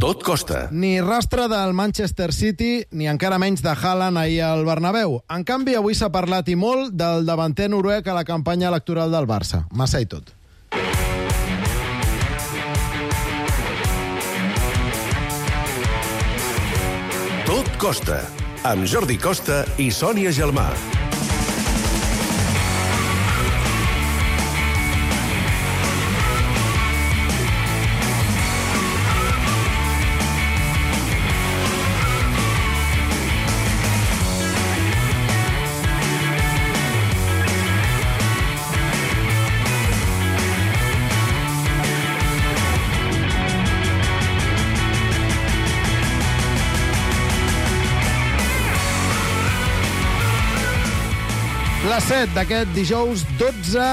Tot costa. Ni rastre del Manchester City, ni encara menys de Haaland ahir al Bernabéu. En canvi, avui s'ha parlat i molt del davanter noruec a la campanya electoral del Barça. Massa i tot. Tot costa. Amb Jordi Costa i Sònia Gelmà. Les 7 d'aquest dijous 12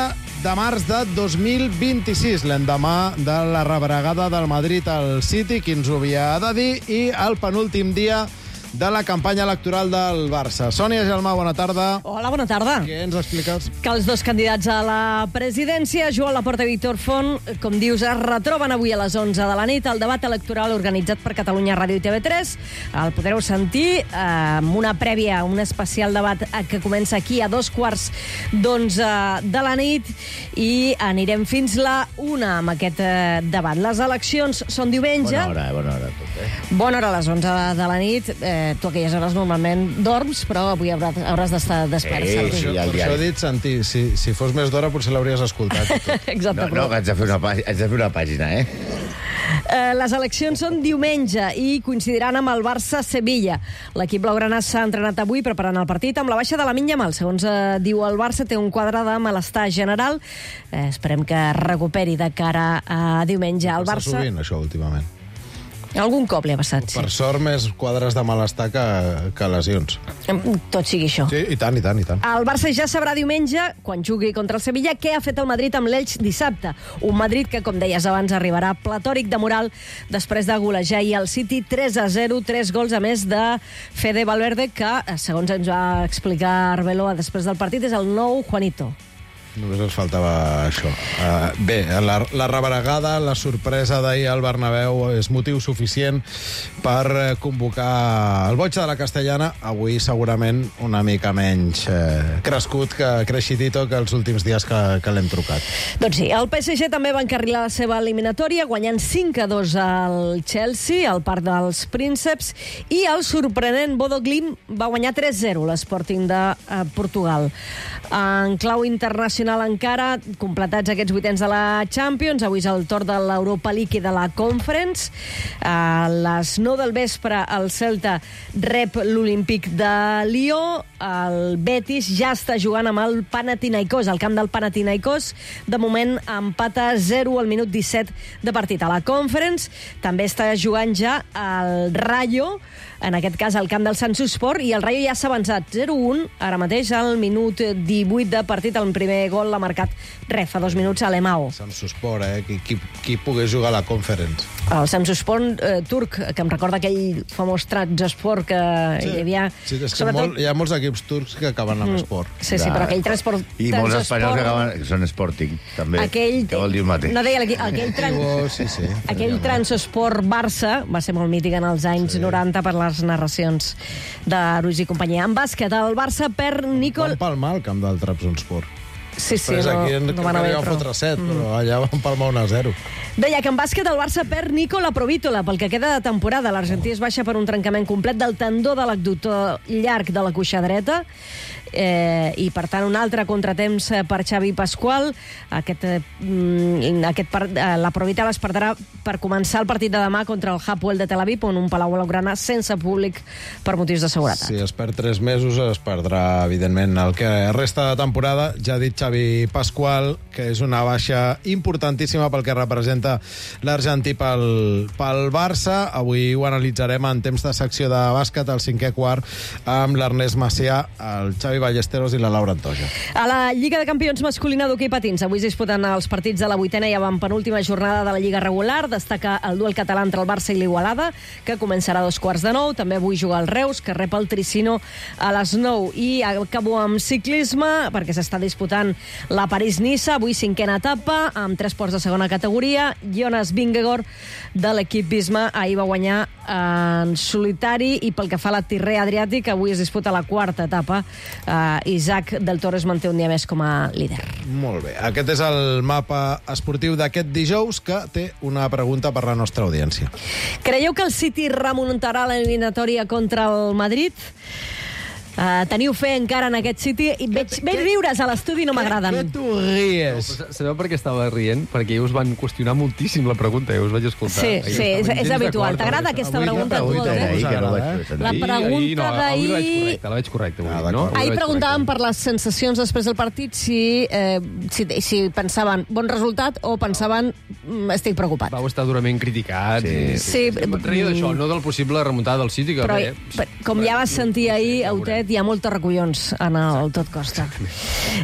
de març de 2026, l'endemà de la rebregada del Madrid al City, qui ens ho havia de dir, i el penúltim dia de la campanya electoral del Barça. Sònia Gelmà, bona tarda. Hola, bona tarda. Què ens expliques? Que els dos candidats a la presidència, Joan Laporta i Víctor Font, com dius, es retroben avui a les 11 de la nit al debat electoral organitzat per Catalunya Ràdio i TV3. El podreu sentir amb una prèvia, un especial debat que comença aquí a 14:15 de la nit i anirem fins la 1 amb aquest debat. Les eleccions són diumenge. Bona hora tot, Bona hora a les 11 de la nit. Tu a aquelles hores normalment dorms, però avui hauràs d'estar despert. Sí, Santi. Per això he dit, Santi, si fos més d'hora potser l'hauries escoltat. Exacte. No, que haig de fer una pàgina, Les eleccions són diumenge i coincidiran amb el Barça-Sevilla. L'equip blaugrana s'ha entrenat avui preparant el partit amb la baixa de Lamine Yamal. Segons diu el Barça, té un quadre de malestar general. Esperem que recuperi de cara a diumenge. El Passa Barça... sovint, això, últimament. Algun cop li ha passat, sí. Per sort, més quadres de malestar que lesions. Tot sigui això. Sí, i tant. El Barça ja sabrà diumenge, quan jugui contra el Sevilla, què ha fet el Madrid amb l'Elx dissabte. Un Madrid que, com deies abans, arribarà platòric de moral després de golejar i el City 3-0, 3 gols a més de Fede Valverde, que, segons ens va explicar Arbeloa després del partit, és el nou Juanito. Només ens faltava això. Bé, la rebregada, la sorpresa d'ahir al Bernabéu és motiu suficient per convocar el boig de la Castellana, avui segurament una mica menys crescut que creixidito que els últims dies que l'hem trucat. Doncs sí, el PSG també va encarrilar la seva eliminatòria, guanyant 5-2 al Chelsea, al Parc dels Prínceps, i el sorprenent Bodo Glimt va guanyar 3-0 l'Sporting de Portugal. En clau internacional encara, completats aquests vuitens de la Champions, avui és el torn de l'Europa League i de la Conference. A les 9 del vespre el Celta rep l'Olímpic de Lió, el Betis ja està jugant amb el Panathinaikos, al camp del Panathinaikos. De moment empata 0 al minut 17 de partit. A la Conference també està jugant ja el Rayo, en aquest cas al camp del Samsunspor, i el Rayo ja s'ha avançat 0-1, ara mateix al minut 18 de partit. El primer gol l'ha marcat fa 2 minuts a l'Emao. Samsunspor, qui pogués jugar a la Conference. El Samsunspor turc, que em recorda aquell famós Trabzonspor que hi havia... Sí, és que hi ha molts equips turcs que acaben amb esport. Sí, però aquell transport... I molts espanyols que acaben... Són Sporting, també, que vol dir el mateix. No deia, aquell Transport Barça va ser molt mític en els anys 90 per les narracions de Ruiz i companyia. En bàsquet, el Barça perd Nicol... Van palmar al camp del Trabzonspor. Sí, després aquí no van haver fotre 7, però allà van palmar 1-0. Deia que en bàsquet el Barça perd Nicola Provítola pel que queda de temporada. L'Argentí es baixa per un trencament complet del tendó de l'abductor llarg de la cuixa dreta. I per tant un altre contratemps per Xavi Pasqual. La Provítola es perdrà per començar el partit de demà contra el Hapoel de Tel Aviv, on un Palau Blaugrana sense públic per motius de seguretat. Si es perd 3 mesos es perdrà evidentment el que resta de temporada. Ja ha dit Xavi Pasqual que és una baixa importantíssima pel que representa l'Argentí pel Barça. Avui ho analitzarem en temps de secció de bàsquet al 5è quart amb l'Ernest Macià, el Xavi Ballesteros i la Laura Antoja. A la Lliga de Campions masculina d'hoquei patins, avui es disputen els partits de la 8a i penúltima jornada de la Lliga regular. Destaca el duel català entre el Barça i l'Igualada, que començarà a 9:15. També avui juga el Reus, que rep el Tricino a les 9. I acabo amb ciclisme, perquè s'està disputant la París-Niça, avui 5a etapa, amb 3 ports de segona categoria, Jonas Vingegaard de l'equip Visma. Ahir va guanyar en solitari, i pel que fa a la Tirrea Adriàtic, avui es disputa la quarta etapa. Isaac del Toro es manté un dia més com a líder. Molt bé. Aquest és el mapa esportiu d'aquest dijous, que té una pregunta per la nostra audiència. Creieu que el City remuntarà l'eliminatòria contra el Madrid? Teniu fe encara en aquest City? I veig riures a l'estudi, no m'agraden. Que tu ries? No, sabeu per què estava rient? Perquè us van qüestionar moltíssim la pregunta, us vaig escoltar. Sí, és habitual. T'agrada aquesta pregunta? La pregunta d'ahir... La veig correcta. Ahir preguntàvem per les sensacions després del partit, si pensaven bon resultat o pensaven estic preocupat. Vau estar durament criticats. Sí. Em reia d'això, no del possible remuntada del City. Però, com ja vas sentir ahir, Autet, hi ha molts recollons en el Tot Costa.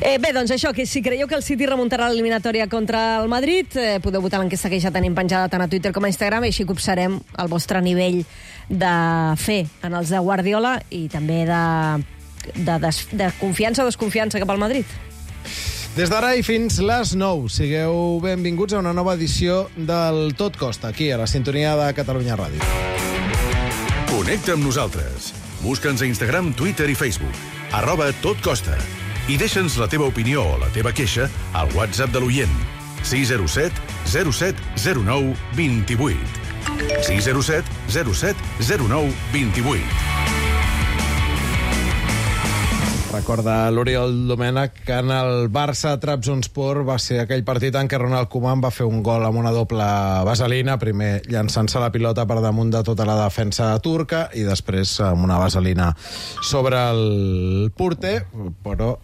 Bé, doncs això, que si creieu que el City remuntarà l'eliminatòria contra el Madrid, podeu votar l'enquesta que ja tenim penjada tant a Twitter com a Instagram, i així copsarem el vostre nivell de fe en els de Guardiola i també de confiança o desconfiança cap al Madrid. Des d'ara i fins les 9, sigueu benvinguts a una nova edició del Tot Costa, aquí, a la sintonia de Catalunya Ràdio. Connecta amb nosaltres. Busca'ns a Instagram, Twitter i Facebook, @totcosta. I deixa'ns la teva opinió o la teva queixa al WhatsApp de l'oient. 607 07 09 28. 607 07 09 28. Recorda l'Oriol Domènech que en el Barça-Trabzonspor va ser aquell partit en què Ronald Koeman va fer un gol amb una doble vaselina, primer llançant-se la pilota per damunt de tota la defensa turca i després amb una vaselina sobre el porter, però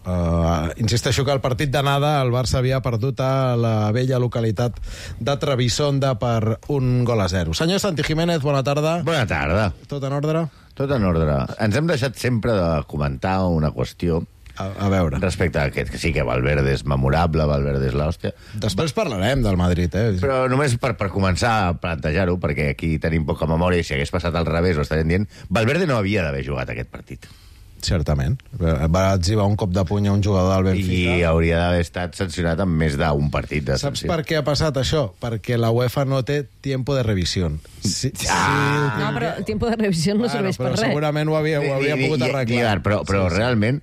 insisteixo que el partit d'anada el Barça havia perdut a la vella localitat de Trebisonda per 1-0. Senyor Santi Jiménez, bona tarda. Bona tarda. Tot en ordre? Tot en ordre. Ens hem deixat sempre de comentar una qüestió a veure. respecte a aquest, que sí que Valverde és memorable, Valverde és l'hòstia. Després parlarem del Madrid, Però només per començar a plantejar-ho, perquè aquí tenim poca memòria i si hagués passat al revés ho estaríem dient, Valverde no havia d'haver jugat aquest partit. Certament. Va exhibar un cop de puny a un jugador del Benfica. I hauria d'haver estat sancionat amb més d'un partit de Saps sanció. per què ha passat això? Perquè la UEFA no té tiempo de revisión. No, però el tiempo de revisió no serveix per res. Segurament ho havia pogut arreglar. Però realment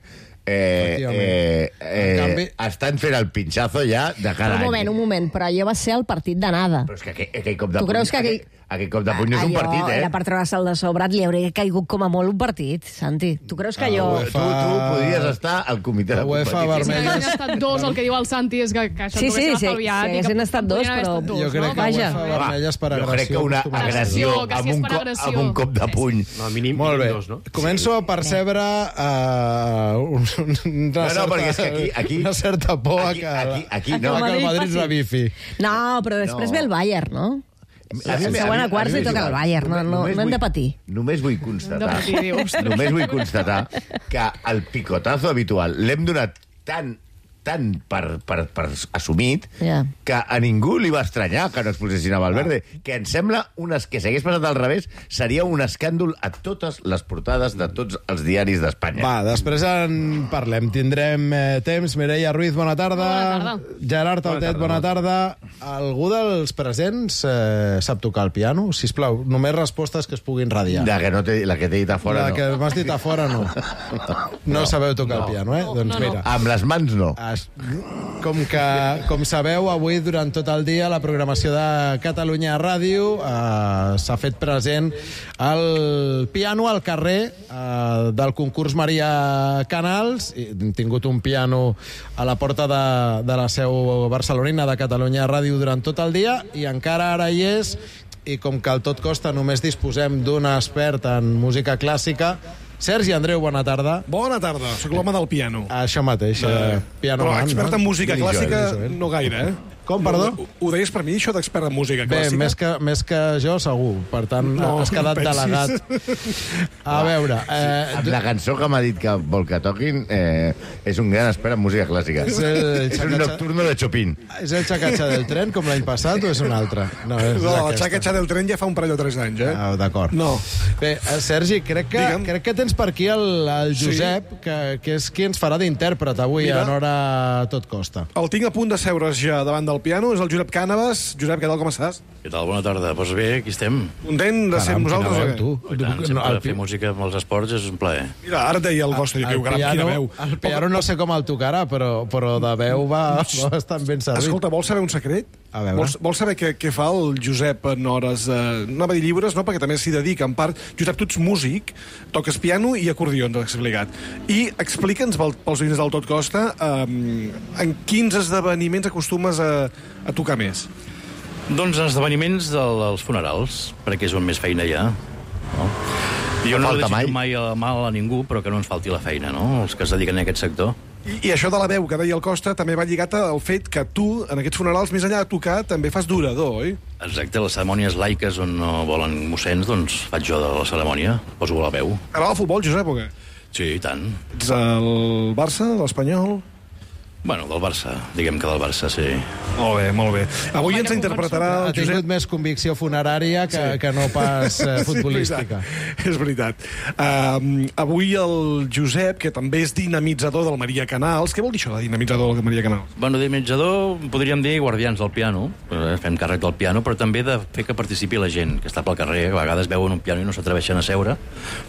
canvi, estan fent el pinxazo ja de cada any. Un moment, però allò va ser el partit d'anada. Però és que aquell cop de Tu puny... creus que Aquell cop de puny no és un partit, Era per treure-se'l de sobre, li hauria caigut com a molt un partit, Santi. Tu creus que allò... Tu podries estar al comitè de UEFA competició. vermella. Si haguessin estat dos, el que diu el Santi és que això Sí, t'ho haguessin si estalviat. haguessin estat dos, però... Jo crec que Vaja. UEFA vermella és per agressió. Jo crec que una agressió que si és per agressió. amb un cop de puny. No, mínim Molt bé. dos, no? Començo a percebre una certa por a que el Madrid revifi. No, però després ve el Bayern, no? La següent a quarts li toca al Bayern, no hem de patir. Només vull constatar, De patir, dius. només vull constatar que el picotazo habitual l'hem donat tan per assumit que a ningú li va estranyar que no expulsessin a Valverde, que em sembla que si hagués passat al revés seria un escàndol a totes les portades de tots els diaris d'Espanya. Va, després en parlem. Tindrem temps. Mireia Ruiz, bona tarda. Bona tarda. Gerard Autet, bona tarda. Algú dels presents sap tocar el piano? Sisplau, només respostes que es puguin radiar. La que t'he dit a fora, La que m'has dit a fora, no. No sabeu tocar el piano, Doncs mira. Amb les mans, no. Com sabeu, avui, durant tot el dia, la programació de Catalunya Ràdio s'ha fet present el piano al carrer del concurs Maria Canals. Hem tingut un piano a la porta de la seu barcelonina de Catalunya Ràdio durant tot el dia i encara ara hi és, i com que al Tot Costa només disposem d'un expert en música clàssica, Sergi Andreu, bona tarda. Bona tarda, sóc l'home del piano. Això mateix, piano Però man, expert en música clàssica no gaire, Com, perdó? Ho deies per mi, això d'expert en música clàssica? Bé, més que jo, segur. Per tant, has quedat delegat. A veure... La cançó que m'ha dit que vol que toquin és un gran expert en música clàssica. És un nocturno de Chopin. És el xacatxa del tren, com l'any passat, o és un altre? No, el xacatxa del tren ja fa un parell o 3 anys, D'acord. No. Bé, Sergi, crec que tens per aquí el Josep, que és qui ens farà d'intèrpret avui en hora Tot Costa. El tinc a punt de seure's ja davant del al piano, és el Josep Cànovas. Josep, què tal, com estàs? Què tal? Bona tarda. Doncs bé, aquí estem. Content de ser amb nosaltres o què? I tant, sempre fer música amb els esports és un plaer. Mira, ara et deia el Costa, que quina veu. El piano no sé com el tocarà, però de veu va bastant ben servit. Escolta, vols saber un secret? A veure. Vols saber què fa el Josep en hores... no va dir lliures, no, perquè també s'hi dedica, en part. Josep, tu ets músic, toques piano i acordió, ens has explicat. I explica'ns, pels oients del Tot Costa, en quins esdeveniments acostumes a tocar més? Doncs els esdeveniments dels funerals, perquè és on més feina hi ha. No? Jo no desitjo mai el mal a ningú, però que no ens falti la feina, no? Els que es dediquen a aquest sector. I això de la veu que deia el Costa també va lligat al fet que tu, en aquests funerals, més enllà de tocar, també fas d'orador, oi? Exacte, les cerimònies laiques on no volen mossens, doncs faig jo de la cerimònia, poso la veu. T'agrada el futbol, Josep, o què? Sí, i tant. Ets el Barça, l'Espanyol? Bueno, del Barça, diguem que del Barça, sí. Molt bé, molt bé. Avui ens interpretarà el Josep... Ha tingut més convicció funerària que no pas futbolística. Sí, és veritat. Avui el Josep, que també és dinamitzador del Maria Canals... Què vol dir això, de dinamitzador del Maria Canals? Bueno, dinamitzador podríem dir guardians del piano, fem càrrec del piano, però també de fer que participi la gent que està pel carrer. A vegades veuen un piano i no s'atreveixen a seure,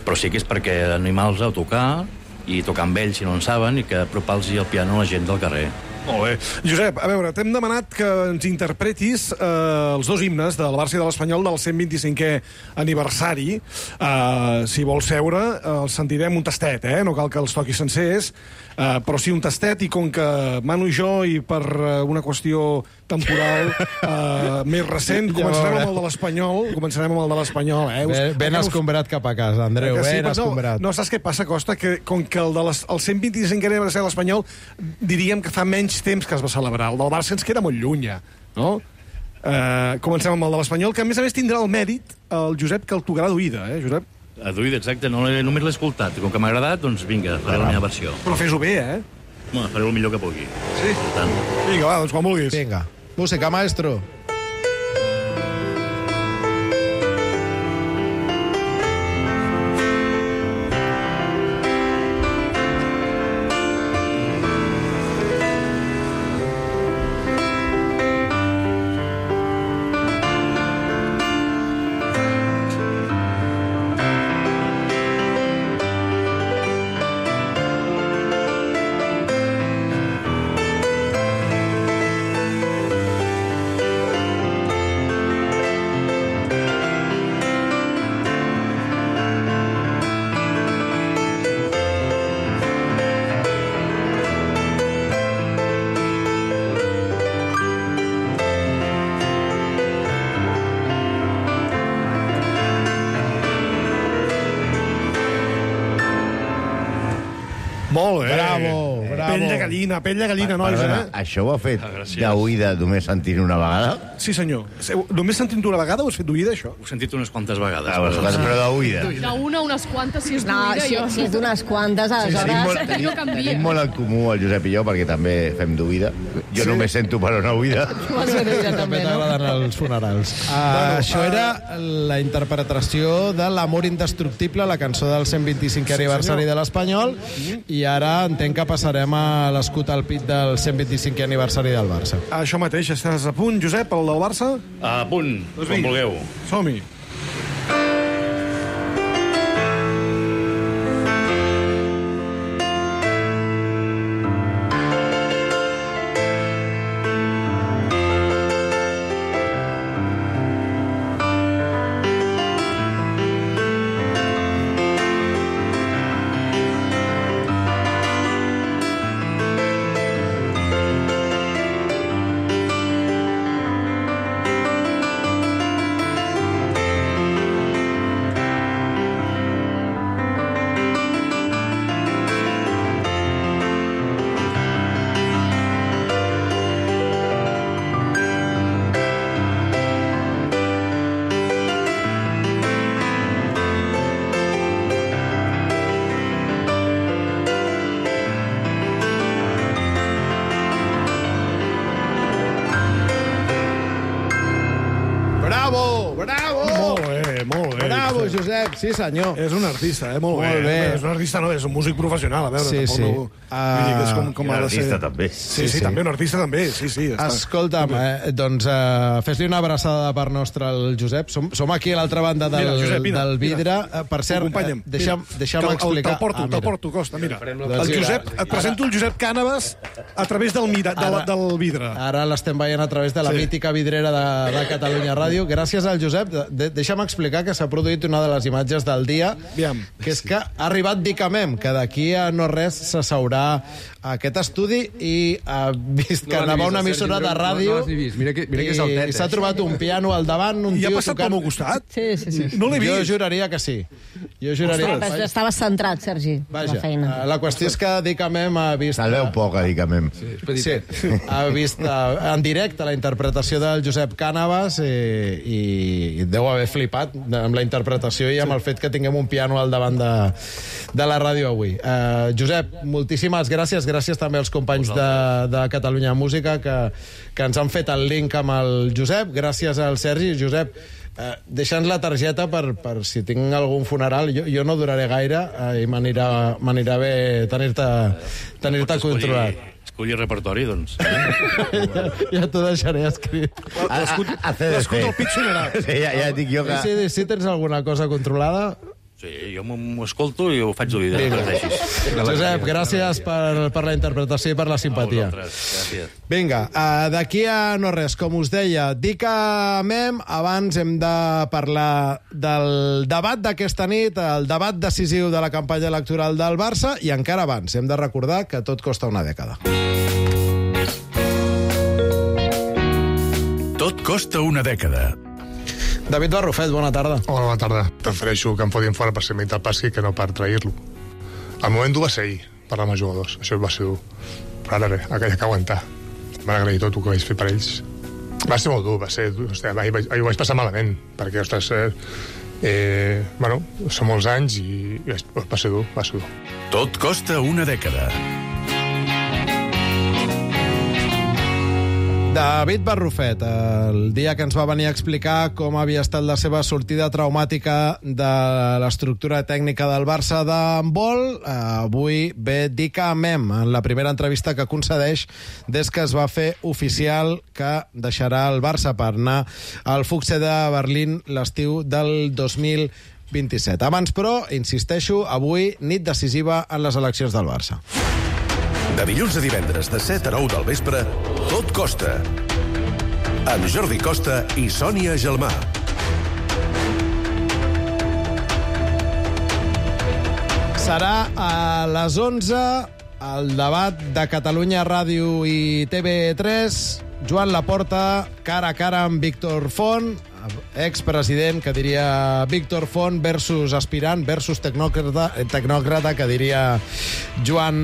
però sí que és perquè animals a tocar i tocar amb ells si no en saben i que apropar-los el piano a la gent del carrer. Molt bé. Josep, a veure, t'hem demanat que ens interpretis els dos himnes del Barça i de l'Espanyol del 125è aniversari. Si vols seure, els sentirem un tastet, no cal que els toquis sencers, però sí un tastet, i com que Manu i jo, i per una qüestió temporal més recent, començarem amb el de l'Espanyol. Ben escombrat cap a casa, Andreu, ben escombrat. No, saps què passa, Costa? Que com que el 125è aniversari de l'Espanyol diríem que fa menys temps que es va celebrar. El del Barça ens queda molt lluny, no? Comencem amb el de l'Espanyol, que a més tindrà el mèrit el Josep, que el tocarà d'oïda, Josep? A d'oïda, exacte, només l'he escoltat. Com que m'ha agradat, doncs vinga, faré la meva versió. Però fes-ho bé, Bueno, faré el millor que pugui. Sí? Vinga, va, doncs quan vulguis. Vinga, música, maestro. Molt bé. Bravo. Pell de gallina, nois, Això ho ha fet d'oïda només sentint una vegada? Sí, senyor. Només sentint una vegada ho has fet d'oïda, això? Ho he sentit unes quantes vegades. Però d'oïda. Unes quantes, si és d'oïda. No, si és d'unes quantes, aleshores... Tenim molt en comú el Josep i jo, perquè també fem d'oïda. Jo només sento per una oïda. També t'agraden els funerals. Això era la interpretació de L'amor indestructible, la cançó del 125è aniversari de l'Espanyol, i ara entenc que passarem a l'escut al pit del 125è aniversari del Barça. Això mateix, estàs a punt, Josep, el del Barça? A punt, com vulgueu. Som-hi. Josep, sí senyor. És un artista, molt Molt bé. És un artista, no, és un músic professional, a veure. Sí, tampoc sí. No, vull dir que és com Un ha de ser. artista, també. Sí, també, un artista també, sí. Escolta'm, doncs fes-li una abraçada de part nostra al Josep. Som aquí a l'altra banda del vidre. Per cert, deixa'm explicar... Te'l porto, Costa, mira. Doncs Et presento el Josep Cànovas a través del vidre. Ara l'estem veient a través de la mítica vidrera de Catalunya Ràdio. Gràcies al Josep. Deixa'm explicar que s'ha produït una de les imatges del dia, que és que ha arribat Dicamem, que d'aquí a no res s'asseurà a aquest estudi i ha vist que anava una emissora de ràdio i s'ha trobat un piano al davant, un I ha tio passat pel meu costat? Sí. No l'he Jo vist. juraria que sí. Estaves centrat, Sergi, Vaja, la feina. la qüestió és que Dicamem ha vist... Se'l veu poc, a Dicamem. Sí, ha vist en directe la interpretació del Josep Cànovas i deu haver flipat amb la interpretació i amb el fet que tinguem un piano al davant de la ràdio avui. Josep, moltíssimes gràcies. Gràcies també als companys de Catalunya Música que ens han fet el link amb el Josep. Gràcies al Sergi. Josep, deixa'ns la targeta per si tinc algun funeral. Jo no duraré gaire i m'anirà bé tenir-te controlat. Escolli repertori, doncs. Ja t'ho deixaré escrit. L'escut del pit sonarà. Sí, ja dic jo que... Si tens alguna cosa controlada... Sí, jo m'ho escolto i ho faig d'oïda. Josep, gràcies per la interpretació i per la simpatia. Gràcies. Vinga, d'aquí a no res, com us deia, Dicamem, abans hem de parlar del debat d'aquesta nit, el debat decisiu de la campanya electoral del Barça, i encara abans hem de recordar que tot costa una dècada. Tot costa una dècada. David Barrufet, bona tarda. Hola, bona tarda. Prefereixo que em fodin fora per ser mental passi que no per trair-lo. El moment dur va ser ahir, parlar amb els jugadors. Això va ser dur. Però ara bé, aquella que aguantar. M'han agraït tot el que vaig fer per ells. Va ser molt dur, va ser... Hòstia, ahir ho vaig passar malament, perquè, ostres, bueno, són molts anys i va ser dur, va ser dur. Tot costa una dècada. David Barrufet, el dia que ens va venir a explicar com havia estat la seva sortida traumàtica de l'estructura tècnica del Barça d'handbol, avui ve Dicamem, en la primera entrevista que concedeix des que es va fer oficial que deixarà el Barça per anar al Fuchse de Berlín l'estiu del 2027. Abans, però, insisteixo, avui nit decisiva en les eleccions del Barça. De dilluns a divendres, de 7 a 9 del vespre, Tot costa. Amb Jordi Costa i Sònia Gelmà. Serà a les 11 el debat de Catalunya Ràdio i TV3. Joan Laporta, cara a cara amb Víctor Font, expresident, que diria Víctor Font, versus aspirant, versus tecnòcrata, que diria Joan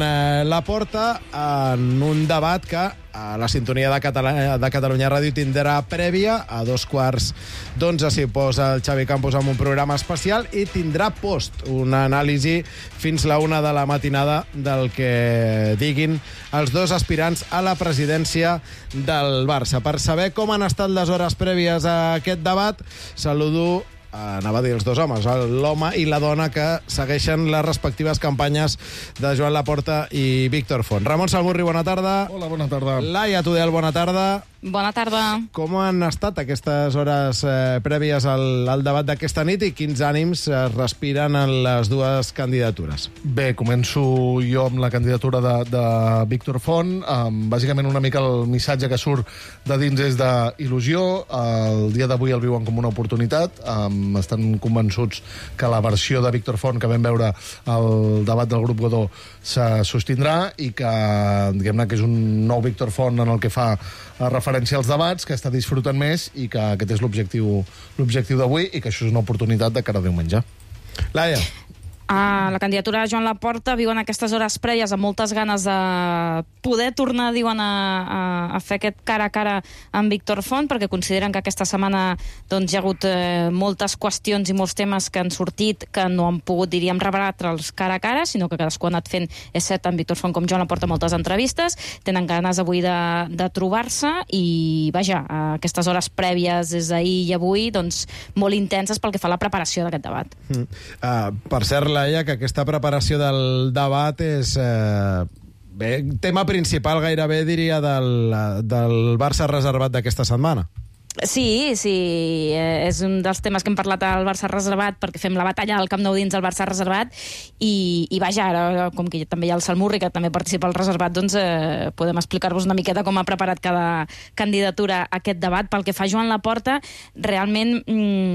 Laporta, en un debat que a la sintonia de Catalunya Ràdio tindrà prèvia. A 11:15 s'hi posa el Xavi Campos amb un programa especial i tindrà post, una anàlisi fins la 1 de la matinada del que diguin els dos aspirants a la presidència del Barça. Per saber com han estat les hores prèvies a aquest debat, saludo, anava a dir els dos homes, l'home i la dona que segueixen les respectives campanyes de Joan Laporta i Víctor Font. Ramon Salmurri, bona tarda. Hola, bona tarda. Laia Tudel, bona tarda. Bona tarda. Com han estat aquestes hores prèvies al debat d'aquesta nit i quins ànims es respiren en les dues candidatures? Bé, començo jo amb la candidatura de Víctor Font. Bàsicament una mica el missatge que surt de dins és d'il·lusió. El dia d'avui el viuen com una oportunitat. Estan convençuts que la versió de Víctor Font que vam veure al debat del grup Godó se sostindrà i que, diguem-ne, que és un nou Víctor Font en el que fa referència als debats, que està disfrutant més i que aquest és l'objectiu d'avui i que això és una oportunitat de cara a diumenge. Laia. La candidatura de Joan Laporta viuen aquestes hores prèvies amb moltes ganes de poder tornar, diuen, a fer aquest cara a cara amb Víctor Font, perquè consideren que aquesta setmana doncs, hi ha hagut moltes qüestions i molts temes que han sortit que no han pogut, diríem, rebatre'ls cara a cara, sinó que cadascú ha anat fent, és cert, amb Víctor Font com Joan Laporta, moltes entrevistes, tenen ganes avui de trobar-se i, vaja, aquestes hores prèvies des d'ahir i avui, doncs, molt intenses pel que fa a la preparació d'aquest debat. Per cert, Laia, que aquesta preparació del debat és tema principal gairebé, diria, del Barça reservat d'aquesta setmana. Sí, és un dels temes que hem parlat al Barça reservat, perquè fem la batalla del Camp Nou dins el Barça reservat, i vaja, ara, com que també hi ha el Salmurri, que també participa al reservat, doncs podem explicar-vos una miqueta com ha preparat cada candidatura a aquest debat. Pel que fa a Joan Laporta, realment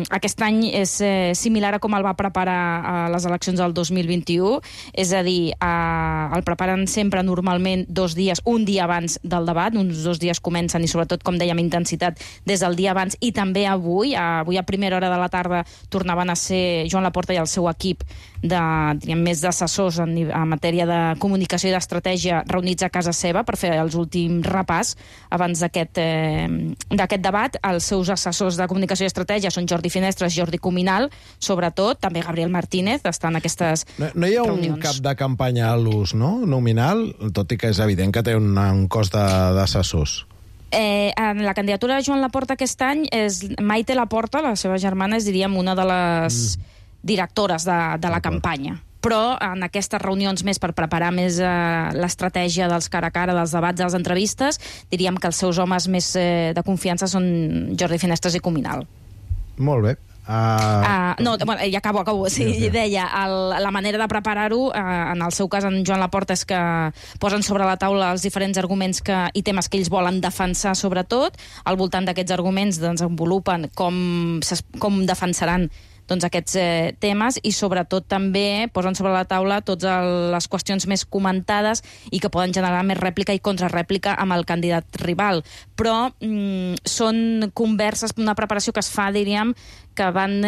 aquest any és similar a com el va preparar a les eleccions del 2021, és a dir, el preparen sempre normalment 2 dies, un dia abans del debat, uns 2 dies comencen, i sobretot, com dèiem, intensitat des del dia abans, i també avui a primera hora de la tarda tornaven a ser Joan Laporta i el seu equip més d'assessors en matèria de comunicació i d'estratègia reunits a casa seva per fer els últims repàs abans d'aquest debat. Els seus assessors de comunicació i estratègia són Jordi Finestres, Jordi Cuminal, sobretot, també Gabriel Martínez, està en aquestes reunions. No hi ha un cap de campanya a l'ús, no?, nominal, tot i que és evident que té un cos d'assessors. En la candidatura de Joan Laporta aquest any és Maite Laporta, la seva germana, és, diríem, una de les directores de la campanya. Però en aquestes reunions més per preparar més l'estratègia dels cara a cara, dels debats, de les entrevistes, diríem que els seus homes més de confiança són Jordi Finestres i Cuminal. Molt bé. Ja acabo. Sí, deia, la manera de preparar-ho, en el seu cas, en Joan Laporta, és que posen sobre la taula els diferents arguments i temes que ells volen defensar, sobretot. Al voltant d'aquests arguments desenvolupen com defensaran aquests temes, i sobretot també posen sobre la taula totes les qüestions més comentades i que poden generar més rèplica i contrarèplica amb el candidat rival. Però són converses, una preparació que es fa, diríem, que van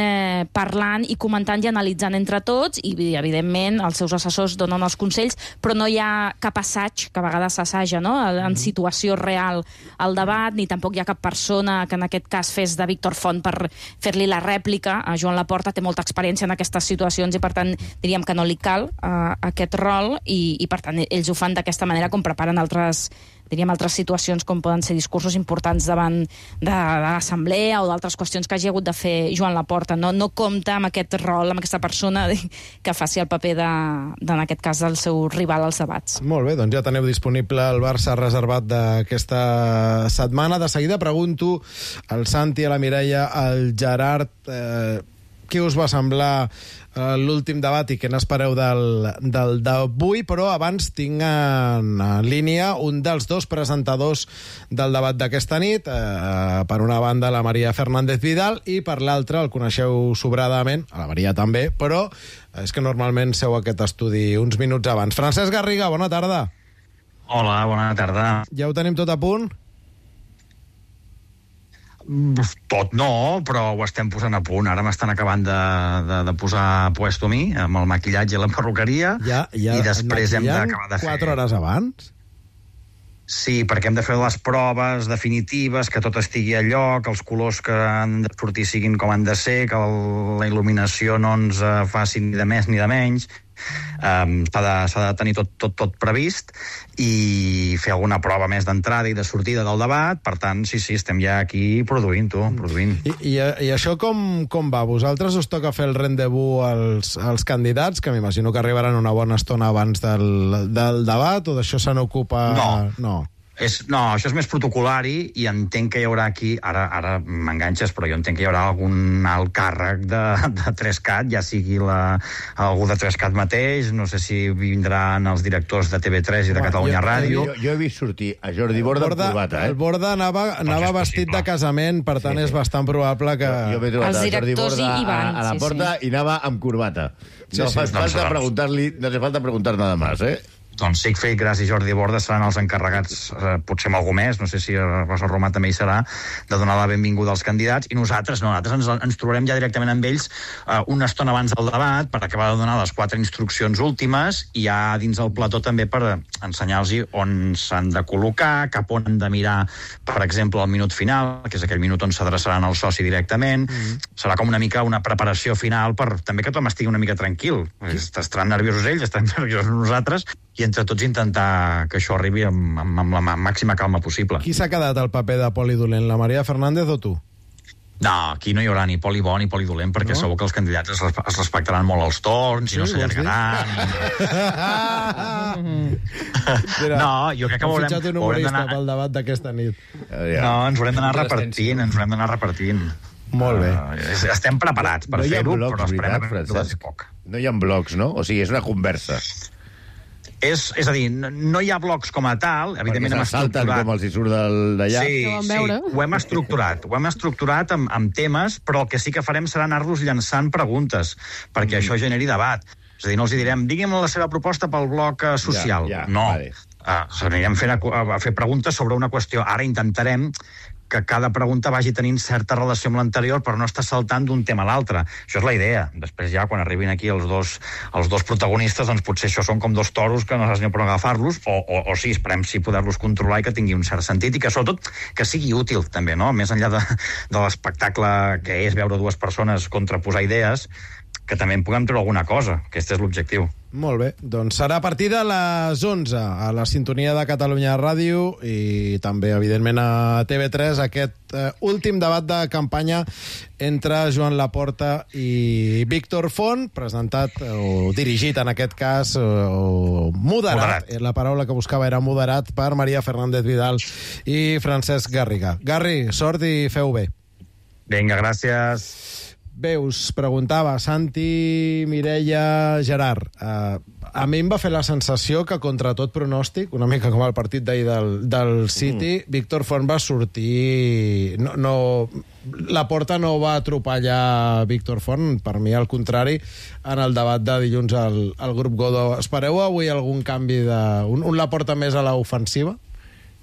parlant i comentant i analitzant entre tots, i evidentment els seus assessors donen els consells, però no hi ha cap assaig, que a vegades s'assaja, no?, en situació real al debat, ni tampoc hi ha cap persona que en aquest cas fes de Víctor Font per fer-li la rèplica. A Joan Laporta té molta experiència en aquestes situacions i, per tant, diríem que no li cal aquest rol, i per tant ells ho fan d'aquesta manera, com preparen altres situacions, com poden ser discursos importants davant de l'assemblea o d'altres qüestions que hagi hagut de fer Joan Laporta. No compta amb aquest rol, amb aquesta persona que faci el paper en aquest cas, del seu rival als debats. Molt bé, doncs ja teniu disponible el Barça reservat d'aquesta setmana. De seguida pregunto al Santi, a la Mireia, al Gerard, què us va semblar l'últim debat i què n'espereu del d'avui, però abans tinc en línia un dels dos presentadors del debat d'aquesta nit. Per una banda, la Maria Fernández Vidal, i per l'altra, el coneixeu sobradament, a la Maria també, però és que normalment seu aquest estudi uns minuts abans. Francesc Garriga, bona tarda. Hola, bona tarda. Ja ho tenim tot a punt? Tot no, però ho estem posant a punt. Ara m'estan acabant de posar puesto a mi, amb el maquillatge i la perruqueria, i després hem d'acabar de fer... 4 hores abans? Sí, perquè hem de fer les proves definitives, que tot estigui a lloc, els colors que han de sortir siguin com han de ser, que la il·luminació no ens faci ni de més ni de menys. S'ha de tenir tot previst, i fer alguna prova més d'entrada i de sortida del debat. Per tant, sí, estem ja aquí produint. I això com va? Vosaltres us toca fer el rendezvous als candidats, que m'imagino que arribaran una bona estona abans del debat, o d'això se n'ocupa... No, això és més protocolari, i entenc que hi haurà aquí, ara m'enganxes, però jo entenc que hi haurà algun alt càrrec de 3CAT, ja sigui algú de 3CAT mateix, no sé si vindran els directors de TV3 i de Catalunya Ràdio. Jo he vist sortir a Jordi Borda amb corbata. El Borda anava vestit de casament, per tant és bastant probable que... Jo m'he trobat a Jordi Borda a la porta i anava amb corbata. No hace falta preguntar nada más, Doncs Sigfrid Gras i Jordi Bordes seran els encarregats, potser amb algú més, no sé si Rosa Romà també hi serà, de donar la benvinguda als candidats, i nosaltres ens trobarem ja directament amb ells una estona abans del debat per acabar de donar les 4 instruccions últimes i ja dins el plató també per ensenyar-los on s'han de col·locar, cap on han de mirar, per exemple, el minut final, que és aquell minut on s'adreçaran al soci directament. Serà com una mica una preparació final per també que tothom estigui una mica tranquil. Estaran nerviosos ells, estarem nerviosos nosaltres, i entre tots intentar que això arribi amb la màxima calma possible. Qui s'ha quedat al paper de poli dolent, la Maria Fernández o tu? No, aquí no hi haurà ni poli bo ni poli dolent, perquè segur que els candidats es respectaran molt els torns i no s'allargaran. No, jo crec que Hem fitxat un humorista pel debat d'aquesta nit. No, ens haurem d'anar repartint, Molt bé. Estem preparats per fer-ho, però esperem que duri poc. No hi ha blocs, no? O sigui, és una conversa. És a dir, no hi ha blocs com a tal, evidentment hem estructurat... estructurat... com els hi surt d'allà. Sí, ho hem estructurat amb temes, però el que sí que farem serà anar-los llançant preguntes, perquè això generi debat. És a dir, no els direm, digui'm la seva proposta pel bloc social. No, anirem a fer preguntes sobre una qüestió. Ara intentarem que cada pregunta vagi tenint certa relació amb l'anterior per no estar saltant d'un tema a l'altre. Això és la idea. Després ja, quan arribin aquí els dos protagonistes, doncs potser això són com 2 toros que no saps ni per agafar-los, o sí, esperem sí poder-los controlar i que tingui un cert sentit, i que sobretot que sigui útil també, no? Més enllà de l'espectacle que és veure 2 persones contraposar idees, que també en puguem treure alguna cosa, que aquest és l'objectiu. Molt bé, doncs serà a partir de les 11 a la sintonia de Catalunya Ràdio i també, evidentment, a TV3 aquest últim debat de campanya entre Joan Laporta i Víctor Font, presentat o dirigit, en aquest cas, o moderat. La paraula que buscava era moderat per Maria Fernández Vidal i Francesc Garriga. Garri, sort i feu bé. Vinga, gràcies. Bé, us preguntava, Santi, Mireia, Gerard, a mi em va fer la sensació que, contra tot pronòstic, una mica com el partit d'ahir del City, Víctor Font va sortir... Laporta no va atropellar Víctor Font, per mi al contrari, en el debat de dilluns al grup Godó. Espereu avui algun canvi un Laporta més a l'ofensiva?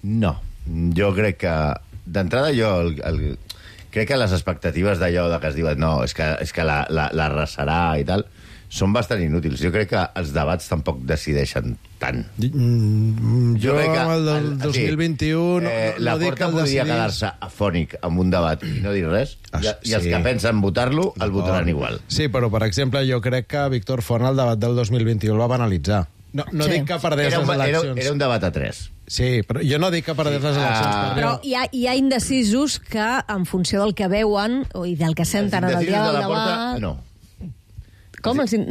No, jo crec que d'entrada crec que les expectatives d'allò que es diuen no, és que la arrasarà i tal, són bastant inútils. Jo crec que els debats tampoc decideixen tant. Jo amb el del 2021 la Porta podria quedar-se afònic amb un debat i no dir res, i els que pensen votar-lo el votaran igual. Sí, però, per exemple, jo crec que Víctor Font el debat del 2021 el va banalitzar. No dic que perdés les eleccions. Era un debat a 3. Sí, però jo no dic que perdés les eleccions. Però hi ha indecisos que, en funció del que veuen i del que senten en el dia del debat... No. Com? No, si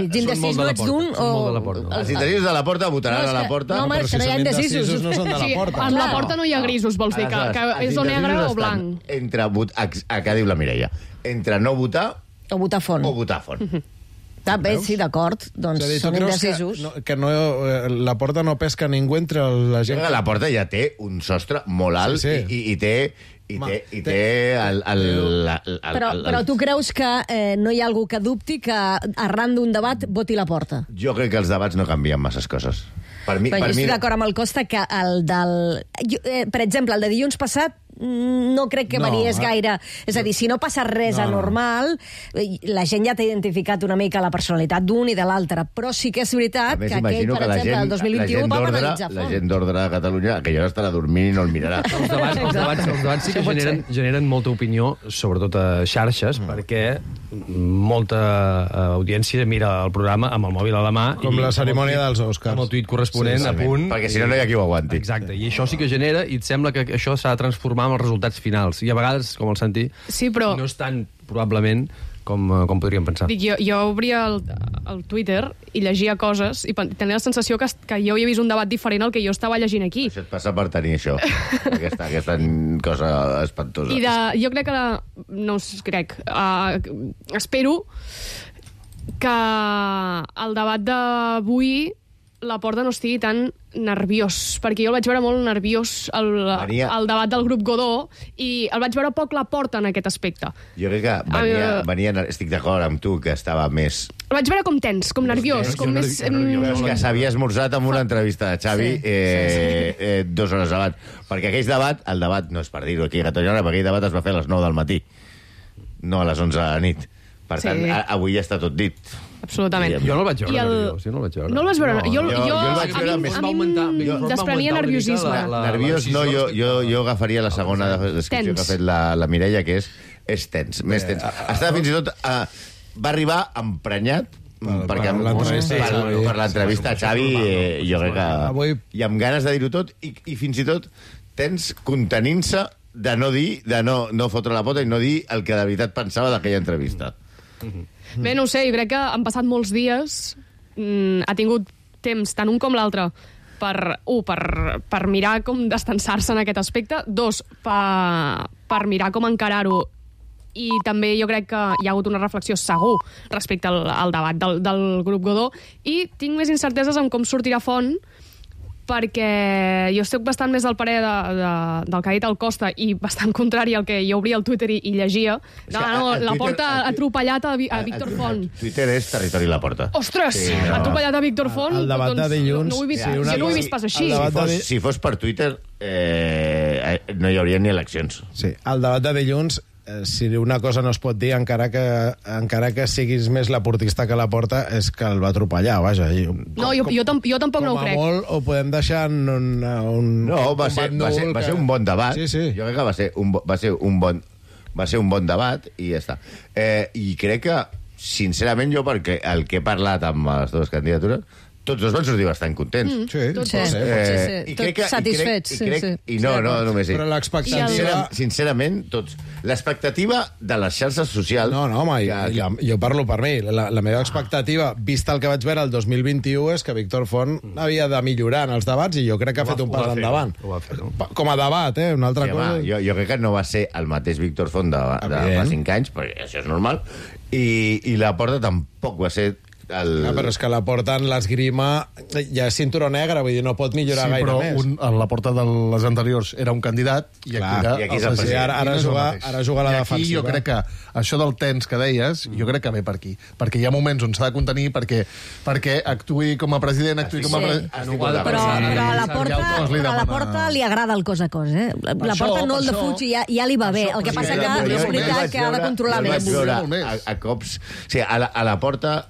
ets indecís no ets d'un o... Els indecisos de la Porta votaran a la Porta. No, home, és que no hi ha indecisos. No són de la Porta. En la Porta no hi ha grisos, vols dir, que és o negre o blanc. Què diu la Mireia? Entre no votar... O votar Font. O votar Font. Bé, sí, d'acord, doncs són indecisos. Que la Porta no pesca ningú entre la gent... La Porta ja té un sostre molt alt i té Però tu creus que no hi ha algú que dubti que arran d'un debat voti la Porta? Jo crec que els debats no canvien masses coses. Jo estic d'acord amb el Costa que per exemple, el de dilluns passat no crec que variés gaire. És a dir, si no passa res anormal, la gent ja t'ha identificat una mica la personalitat d'un i de l'altre, però sí que és veritat que aquell, per exemple, el 2021 va penalitzar Font. La gent d'ordre de Catalunya, que ja estarà dormint i no el mirarà. Els debats sí que generen molta opinió, sobretot a xarxes, perquè molta audiència mira el programa amb el mòbil a la mà. Com la cerimònia dels Oscars. Amb el tuit corresponent a punt. Perquè si no hi ha qui ho aguanti. Exacte, i això sí que genera, i et sembla que això s'ha de transformar amb els resultats finals. I a vegades, com el Santi, no és tan, probablement, com podríem pensar. Jo obria el Twitter i llegia coses i tenia la sensació que jo havia vist un debat diferent al que jo estava llegint aquí. Això et passa per tenir això, aquesta cosa espantosa. I jo crec espero que el debat d'avui la Porta no estigui tan nerviós, perquè jo el vaig veure molt nerviós al debat del grup Godó i el vaig veure poc la Porta en aquest aspecte. Jo crec que estic d'acord amb tu, que estava més... El vaig veure com tens, com nerviós, com més... És que s'havia esmorzat amb una entrevista de Xavi 2 hores abans. Perquè aquell debat, el debat, no és per dir-ho aquí a Catalunya, perquè aquell debat es va fer a les 9 del matí, no a les 11 de la nit. Per tant, avui ja està tot dit. Absolutament. Jo no el vaig veure nerviós. No el vaig veure. Jo el vaig veure més... A mi em desprenia nerviosisme. Nerviós no, jo agafaria la segona descripció que ha fet la Mireia, que és tens, més tens. Estava fins i tot... Va arribar emprenyat per l'entrevista a Xavi, jo crec que... I amb ganes de dir-ho tot, i fins i tot tens contenint-se de no dir, de no fotre la pota i no dir el que de veritat pensava d'aquella entrevista. Bé, no ho sé, jo crec que han passat molts dies, ha tingut temps, tant un com l'altre, per mirar com destensar-se en aquest aspecte, 2, per mirar com encarar-ho, i també jo crec que hi ha hagut una reflexió segur respecte al debat del grup Godó, i tinc més incerteses en com sortirà Font, perquè jo estic bastant més del parer del que ha dit el Costa i bastant contrari al que jo obria el Twitter i llegia. La Porta ha atropellat a Víctor Font. Twitter és territori La Porta. Ostres, ha atropellat a Víctor Font. El debat de dilluns... Jo no ho he vist pas així. Si fos per Twitter, no hi hauria ni eleccions. Sí, el debat de dilluns, si una cosa no es pot dir, encara que siguis més laportista que la Porta, és que el va atropellar, vaja. No, jo tampoc no ho crec. Com a molt ho podem deixar en un... No, va ser un bon debat. Sí. Jo crec que va ser un bon debat i ja està. I crec que, sincerament, jo, perquè el que he parlat amb les dues candidatures, tots dos van sortir bastant contents. Satisfets. I no només ell. Però l'expectativa... Sincerament, tots. L'expectativa de les xarxes socials... No, home, jo parlo per mi. La meva expectativa, vista el que vaig veure el 2021, és que Víctor Font havia de millorar en els debats i jo crec que ha fet un pas endavant. Com a debat, una altra cosa... Jo crec que no va ser el mateix Víctor Font de fa 5 anys, perquè això és normal, i la Porta tampoc va ser... però és que la Porta en l'esgrima ja és cinturó negre, vull dir, no pot millorar gaire més. Sí, però la Porta de les anteriors era un candidat i aquí és el president. Ara juga la defensiva. I aquí jo crec que això del tens que deies, jo crec que ve per aquí. Perquè hi ha moments on s'ha de contenir perquè actuï com a president, Però a la Porta li agrada el cos a cos, eh? La Porta no el defuig i ja li va bé. El que passa que és veritat que ha de controlar més. A cops... A la Porta...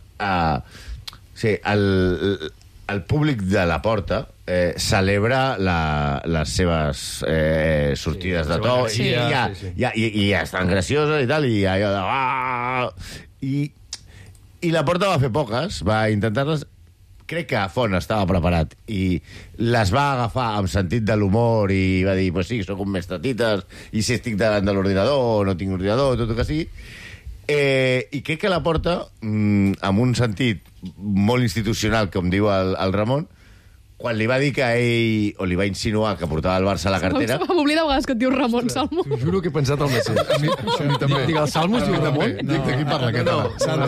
el públic de la Porta celebra les seves sortides de to i ja estan gracioses i tal, i allò de... I la Porta va fer poques, va intentar-les. Crec que Font estava preparat i les va agafar amb sentit de l'humor i va dir, pues sí, soc un mestatites i si estic davant de l'ordinador o no tinc ordinador, tot el que sigui. I crec que la Porta, amb un sentit molt institucional, com diu el Ramon, quan li va dir que ell, o li va insinuar que portava el Barça a la cartera... M'oblida a vegades que et diu Ramon Salmo. T'ho juro que he pensat el mateix. A mi també. Dic, el Salmo es diu Ramon? Dic, de qui parla aquest ara?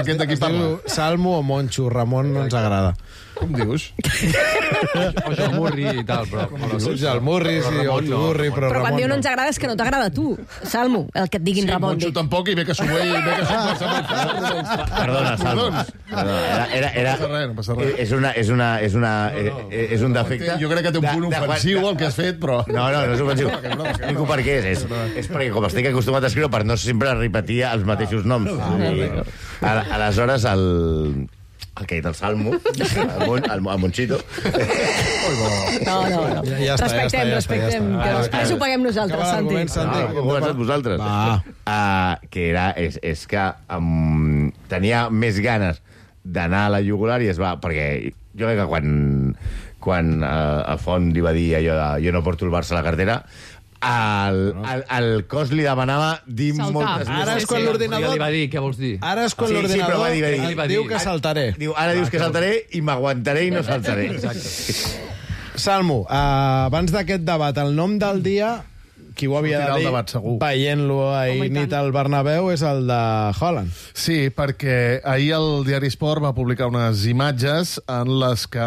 Aquest de qui parla? Salmo o Moncho, Ramon no ens agrada. Com dius? O Joan Murri i tal, però... El Murri, sí, o Turri, però Ramon quan diu no ens agrada és que no t'agrada a tu, Salmo, el que et diguin Ramon. Sí, Moncho tampoc, i ve que s'ho ve, Perdona, Salmo. No passa res. És un defecte... Jo crec que té un punt ofensiu el que has fet, però... No és ofensiu. Explico per què és. És perquè com estic acostumat a escriure per no sempre repetir els mateixos noms. Aleshores, el que ha dit el Salmo, el Monchito... No. Respectem. Que després ho paguem nosaltres, Santi. Ho començat vosaltres. Que és que tenia més ganes d'anar a la jugular i es va... Perquè jo crec que quan a Font li va dir allò de jo no porto el Barça a la cartera, el cos li demanava dir moltes més. Ara és quan l'ordinador... Ja li va dir, què vols dir? Ara és quan l'ordinador diu que saltaré. Ara dius que saltaré i m'aguantaré i no saltaré. Salmo, abans d'aquest debat, el nom del dia qui ho havia de dir, veient-lo ahir nit al Bernabéu, és el de Haaland. Sí, perquè ahir el diari Sport va publicar unes imatges en les que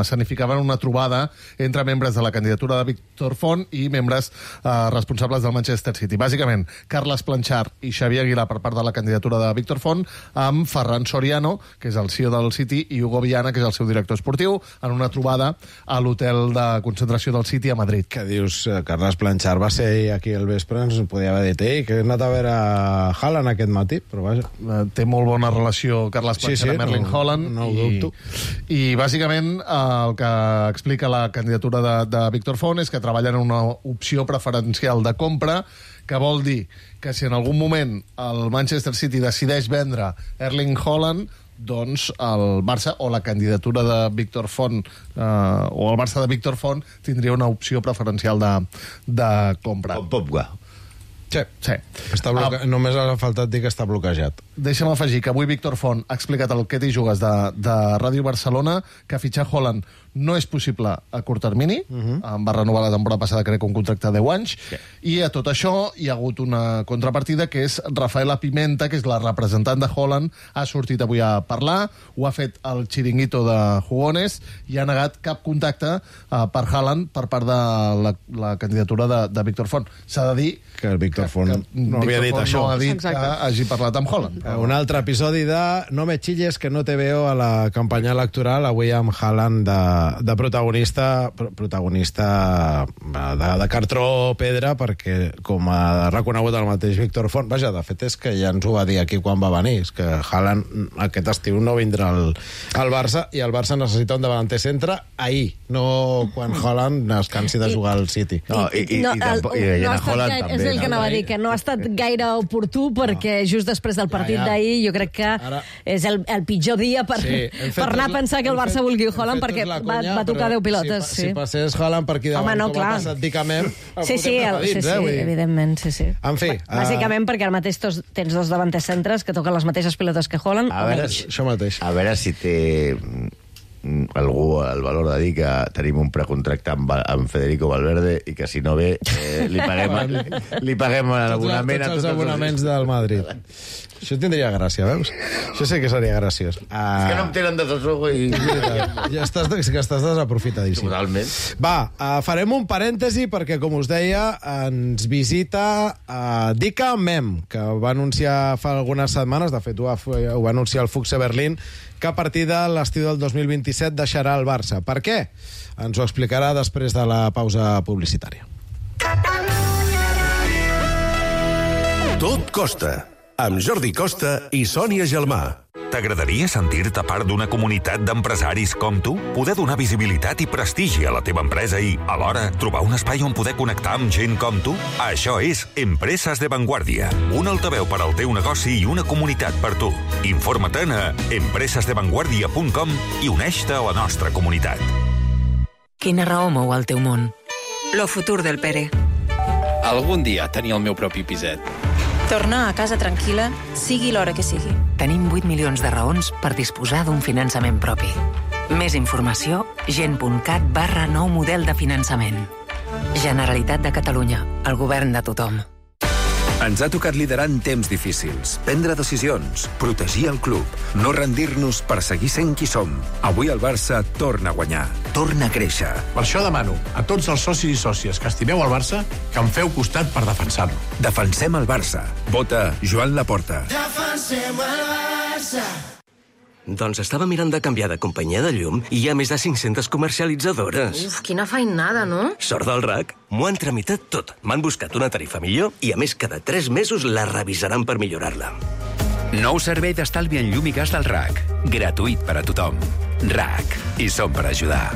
escenificaven una trobada entre membres de la candidatura de Víctor Font i membres responsables del Manchester City. Bàsicament, Carles Planchard i Xavier Aguilar per part de la candidatura de Víctor Font, amb Ferran Soriano, que és el CEO del City, i Hugo Viana, que és el seu director esportiu, en una trobada a l'hotel de concentració del City a Madrid. Què dius? Carles Planchard va ser aquí al vespre, ens podia haver dit, que he anat a veure Haaland aquest matí, però vaja. Té molt bona relació Carles Planchard amb Erling Haaland. No ho dubto. I bàsicament el que explica la candidatura de Víctor Font és que treballen en una opció preferencial de compra, que vol dir que si en algun moment el Manchester City decideix vendre Erling Haaland, doncs el Barça o la candidatura de Víctor Font o el Barça de Víctor Font tindria una opció preferencial de compra. Com Pogba. Sí. Només ha faltat dir que està bloquejat. Deixa'm afegir que avui Víctor Font ha explicat al Què t'hi jugues de Ràdio Barcelona que fitxar Haaland no és possible a curt termini. Va renovar la temporada passada, crec, un contracte de 10 anys. I a tot això hi ha hagut una contrapartida, que és Rafaela Pimenta, que és la representant de Haaland, ha sortit avui a parlar, ho ha fet el xiringuito de Jugones i ha negat cap contacte per Haaland per part de la candidatura de Víctor Font. S'ha de dir que el Víctor Font no havia dit això. No ha dit que hagi parlat amb Haaland. Un altre episodi de No me chilles que no te veo a la campanya electoral, avui amb Haaland de protagonista de cartró pedra, perquè com ha reconegut el mateix Víctor Font, vaja, de fet és que ja ens ho va dir aquí quan va venir, és que Haaland aquest estiu no vindrà al Barça, i el Barça necessita un davanter centre ahir, no quan Haaland es cansi de jugar al City. I Haaland també. És el que anava a dir, que no ha estat gaire oportú, perquè just després del partit d'ahir jo crec que és el pitjor dia per anar a pensar que el Barça vulgui Haaland, perquè va tocar 10 pilotes. Si passés Haaland per aquí davant, com ha passat Dicamem, evidentment, sí. En fi... Bàsicament perquè ara mateix tens dos davanters centres que toquen les mateixes pilotes que Haaland. Això mateix. A veure si té algú el valor de dir que tenim un precontracte amb Federico Valverde i que si no ve li paguem l'abonament tots els abonaments del Madrid. Això tindria gràcia, veus? Això sí que seria graciós. És que no em tenen de tot i... Ja estàs desaprofitadíssim. Totalment. Va, farem un parèntesi perquè, com us deia, ens visita Dicamem, que va anunciar fa algunes setmanes, de fet ho va anunciar el Fuchs Berlín, que a partir de l'estiu del 2027 deixarà el Barça. Per què? Ens ho explicarà després de la pausa publicitària. Tot costa, amb Jordi Costa i Sònia Gelmà. T'agradaria sentir-te part d'una comunitat d'empresaris com tu? Poder donar visibilitat i prestigi a la teva empresa i, alhora, trobar un espai on poder connectar amb gent com tu? Això és Empreses de Vanguardia, un altaveu per al teu negoci i una comunitat per tu. Informa-te'n a empresesdevanguardia.com i uneix-te a la nostra comunitat. Quina raó mou el teu món? Lo futur del Pere. Algun dia tenir el meu propi piset. Tornar a casa tranquil·la, sigui l'hora que sigui. Tenim 8 milions de raons per disposar d'un finançament propi. Més informació, gent.cat/nou model de finançament. Generalitat de Catalunya, el govern de tothom. Ens ha tocat liderar en temps difícils, prendre decisions, protegir el club, no rendir-nos per seguir sent qui som. Avui el Barça torna a guanyar, torna a créixer. Per això demano a tots els socis i sòcies que estimeu el Barça que em feu costat per defensar-lo. Defensem el Barça. Vota Joan Laporta. Defensem el Barça. Doncs estava mirant de canviar de companyia de llum i hi ha més de 500 comercialitzadores. Uf, quina feinada, no? Sort del RAC. M'ho han tramitat tot. M'han buscat una tarifa millor i, a més, cada 3 mesos la revisaran per millorar-la. Nou servei d'estalvi en llum i gas del RAC. Gratuït per a tothom. RAC. I som per ajudar.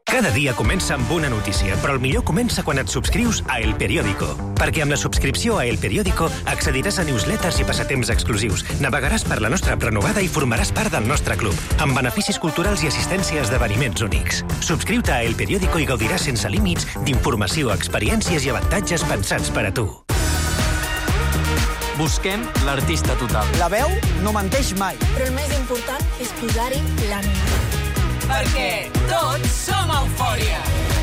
Cada dia comença amb una notícia, però el millor comença quan et subscrius a El Periódico. Perquè amb la subscripció a El Periódico accediràs a newsletters i passatemps exclusius, navegaràs per la nostra app renovada i formaràs part del nostre club, amb beneficis culturals i assistència a esdeveniments únics. Subscriu-te a El Periódico i gaudiràs sense límits d'informació, experiències i avantatges pensats per a tu. Busquem l'artista total. La veu no menteix mai. Però el més important és posar-hi l'ànima. Perquè tots som Eufòria.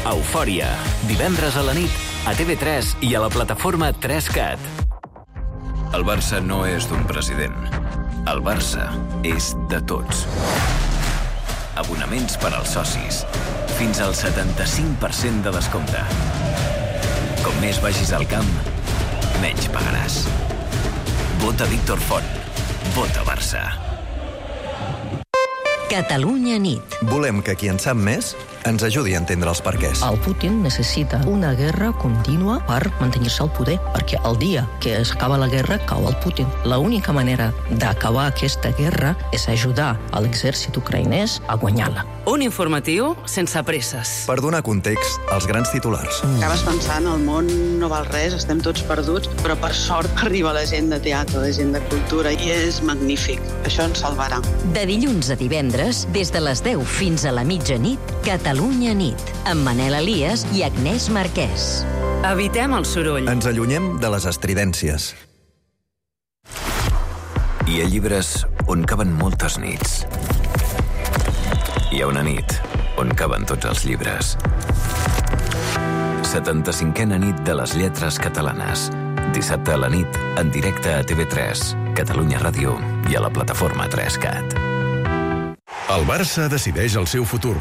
Eufòria, divendres a la nit a TV3 i a la plataforma 3CAT. El Barça no és d'un president. El Barça és de tots. Abonaments per als socis. Fins al 75% de descompte. Com més vagis al camp, menys pagaràs. Vota Víctor Font. Vota Barça. Catalunya nit. Volem que qui en sap més ens ajudi a entendre els perquès. El Putin necessita una guerra contínua per mantenir-se al poder, perquè el dia que s'acaba la guerra cau el Putin. L'única manera d'acabar aquesta guerra és ajudar a l'exèrcit ucraïnès a guanyar-la. Un informatiu sense presses. Per donar context als grans titulars. Acabes pensant, el món no val res, estem tots perduts, però per sort arriba la gent de teatre, la gent de cultura, i és magnífic. Això ens salvarà. De dilluns a divendres, des de les 10 fins a la mitjanit, Catalunya nit, amb Manel Elias i Agnès Marquès. Evitem el soroll. Ens allunyem de les estridències. Hi ha llibres on caben moltes nits. Hi ha una nit on caben tots els llibres. 75a nit de les lletres catalanes. Dissabte a la nit, en directe a TV3, Catalunya Ràdio i a la plataforma 3CAT. El Barça decideix el seu futur.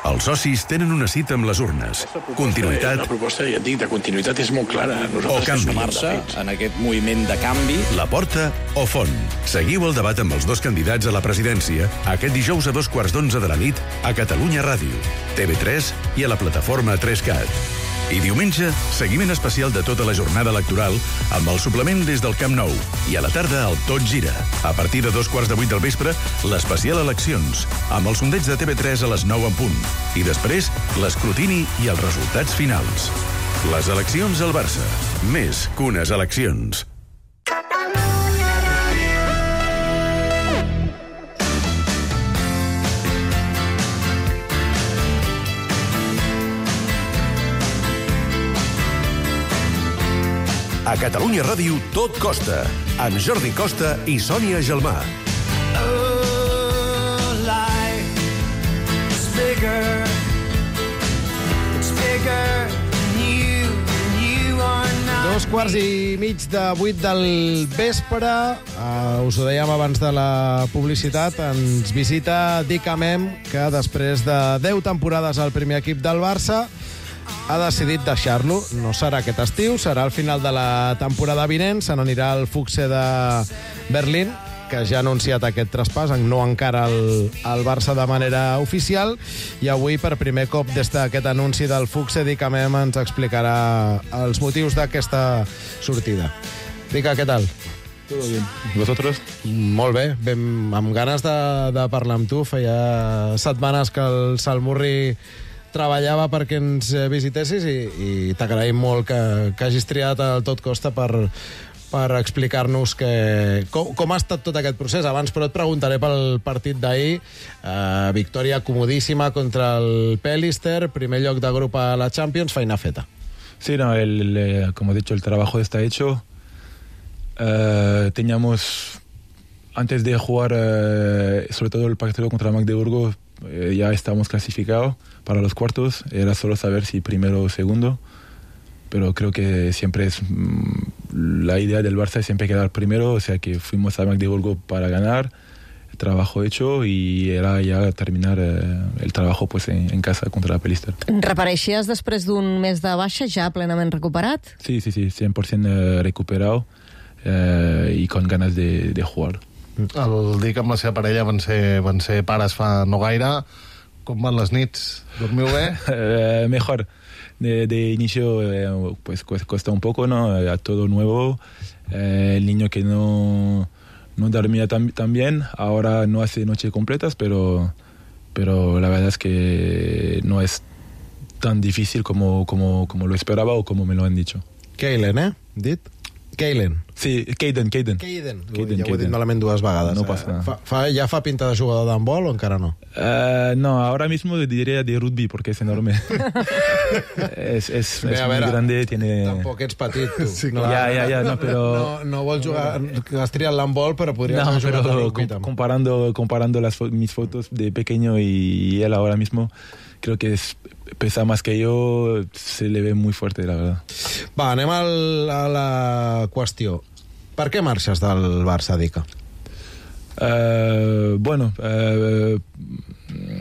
Els socis tenen una cita amb les urnes. Continuïtat. La proposta, ja et dic, de continuïtat és molt clara. O canvi. Sumar-se en aquest moviment de canvi. La Porta o Font. Seguiu el debat amb els dos candidats a la presidència aquest dijous a 11:15 de la nit a Catalunya Ràdio, TV3 i a la plataforma 3CAT. I diumenge, seguiment especial de tota la jornada electoral amb el suplement des del Camp Nou. I a la tarda, el Tot Gira. A partir de 7:15 del vespre, l'especial Eleccions, amb el sondeig de TV3 a les 9 en punt. I després, l'escrutini i els resultats finals. Les eleccions al Barça. Més que unes eleccions. A Catalunya Ràdio tot costa, amb Jordi Costa i Sònia Gelmà. Oh, life is bigger. It's bigger than you are not. 7:15 del vespre. Us ho dèiem abans de la publicitat. Ens visita Dick Amem, que després de 10 temporades al primer equip del Barça ha decidit deixar-lo. No serà aquest estiu, serà al final de la temporada vinent. Se n'anirà al Füchse de Berlín, que ja ha anunciat aquest traspàs, no encara el Barça de manera oficial. I avui, per primer cop des d'aquest anunci del Füchse, Dick Amem ens explicarà els motius d'aquesta sortida. Dica, què tal? Todo bien. ¿Vosotros? Molt bé, amb ganes de parlar amb tu. Feia setmanes que el Salmurri treballava perquè ens visitessis i t'agraïm molt que hagis triat el Tot Costa per explicar-nos com ha estat tot aquest procés. Abans, però, et preguntaré pel partit d'ahir. Victòria comodíssima contra el Pelister, primer lloc de grup a la Champions, feina feta. Sí, no, como he dicho, el trabajo está hecho. Teníamos, antes de jugar, sobre todo el partido contra Magdeburgo, ya estábamos clasificados para los cuartos. Era solo saber si primero o segundo. Pero creo que siempre es la idea del Barça es siempre quedar primero. O sea que fuimos a Magdeburgo para ganar. El trabajo hecho y era ya terminar el trabajo pues en casa contra la Pelister. Repareixies després d'un mes de baixa ja plenament recuperat? Sí, 100% recuperado y con ganas de jugar. El Dick amb la seva parella van ser pares fa no gaire. Com van les nits? Dormiu bé? Mejor. De inicio pues cuesta un poco, ¿no? A todo nuevo. El niño que no dormía tan bien, ahora no hace noches completas, pero la verdad es que no es tan difícil como lo esperaba o como me lo han dicho. Keilen, Dit? Keilen. Sí, Keiden. Ja ho he dit malament 2 vegades. No passa nada. ¿Ya fa pinta de jugador de handbol o encara no? No, ahora mismo diría de rugby porque es enorme. es Bé, muy grande, tiene... Tampoc ets petit, tu. Sí, ja, no, però... No vols jugar... Has triat l'handbol, però podries haver jugat a rugby. Comparando mis fotos de pequeño y él ahora mismo, creo que pesa más que yo, se le ve muy fuerte, la verdad. Va, anem a la qüestió. Per què marxes del Barça, Dica? Bueno,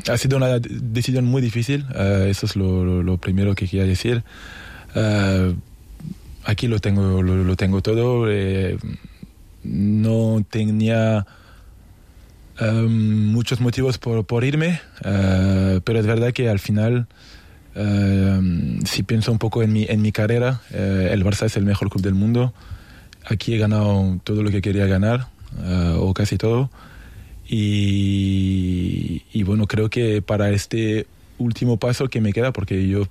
ha sido una decisión muy difícil, eso es lo primero que quería decir. Aquí lo tengo todo, no tenía muchos motivos por irme, pero es verdad que al final, si pienso un poco en mi carrera, el Barça es el mejor club del mundo. Aquí he ganado todo lo que quería ganar, o casi todo. Y bueno, creo que para este último paso que me queda, porque yo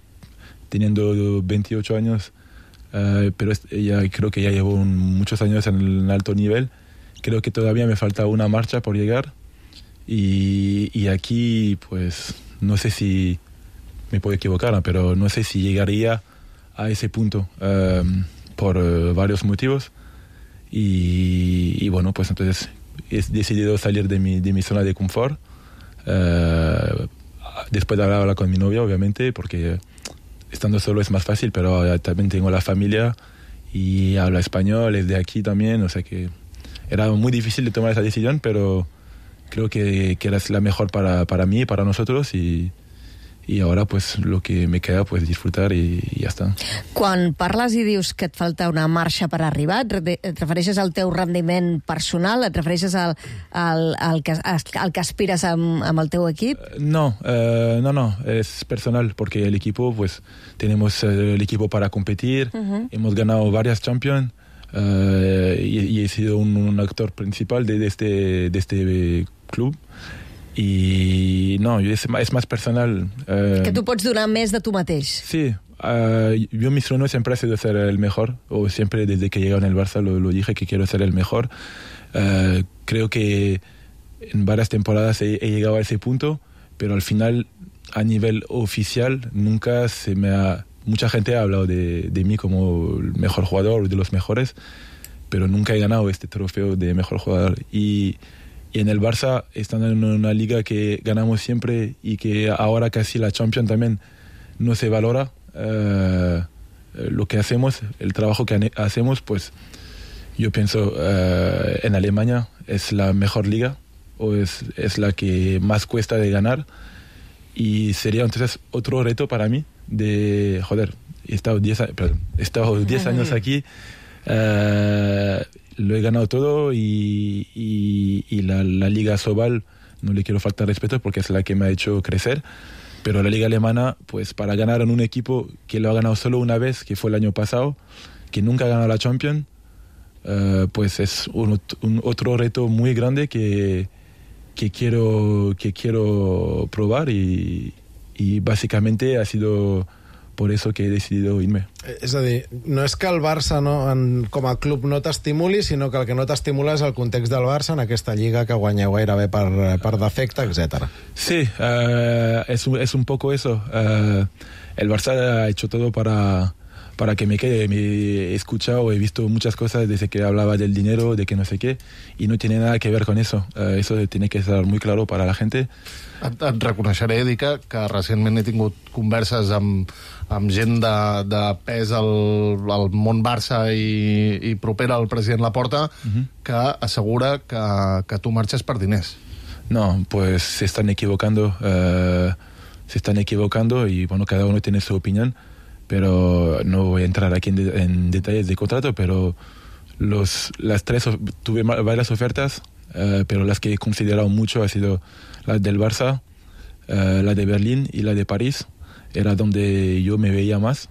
teniendo 28 años, pero ya creo que ya llevo muchos años en el alto nivel, creo que todavía me falta una marcha por llegar. Y aquí, pues, no sé si me puedo equivocar, pero no sé si llegaría a ese punto por varios motivos. Y bueno, pues entonces he decidido salir de mi zona de confort, después de hablar con mi novia, obviamente, porque estando solo es más fácil, pero también tengo la familia y hablo español, es de aquí también, o sea que era muy difícil de tomar esa decisión, pero creo que era la mejor para mí y para nosotros, y ahora pues lo que me queda pues disfrutar y ya está. Quan parles i dius que et falta una marxa per arribar, et refereixes al teu rendiment personal? Et refereixes al que aspires amb el teu equip? No, es personal, porque el equipo, pues tenemos el equipo para competir, hemos ganado varias Champions, y he sido un actor principal de este club. Y no, es más personal. Que tu pots donar més de tu mateix. Sí, yo mi sueño siempre ha sido ser el mejor, o siempre desde que llegué en el Barça lo dije que quiero ser el mejor. Creo que en varias temporadas he llegado a ese punto, pero al final, a nivel oficial, nunca mucha gente ha hablado de mí como el mejor jugador, de los mejores, pero nunca he ganado este trofeo de mejor jugador. Y en el Barça, estando en una liga que ganamos siempre y que ahora casi la Champions también no se valora, lo que hacemos, el trabajo que hacemos, pues yo pienso en Alemania es la mejor liga, o es la que más cuesta de ganar, y sería entonces otro reto para mí de, he estado 10 años aquí, lo he ganado todo, y la Liga Sobal no le quiero faltar respeto porque es la que me ha hecho crecer, pero la Liga Alemana, pues para ganar en un equipo que lo ha ganado solo una vez, que fue el año pasado, que nunca ha ganado la Champions, pues es otro reto muy grande que quiero probar, y básicamente ha sido por eso que he decidido irme. És a dir, no és que el Barça com a club no t'estimuli, sinó que el que no t'estimula és el context del Barça en aquesta lliga que guanyeu gairebé per defecte, etc. Sí, es un poco eso. El Barça ha hecho todo para que me quede. Me he escuchado, he visto muchas cosas desde que hablaba del dinero, de que no sé qué, y no tiene nada que ver con eso. Eso tiene que estar muy claro para la gente. Et reconeixeré, Dica, que recentment he tingut converses amb gent de pes al món Barça i propera al president Laporta, que assegura que tu marxes per diners. No, pues se están equivocando y bueno, cada uno tiene su opinión, pero no voy a entrar aquí en detalles de contrato, pero las tres tuve varias ofertas, pero las que he considerado mucho ha sido la del Barça, la de Berlín y la de París. Era donde yo me veía más,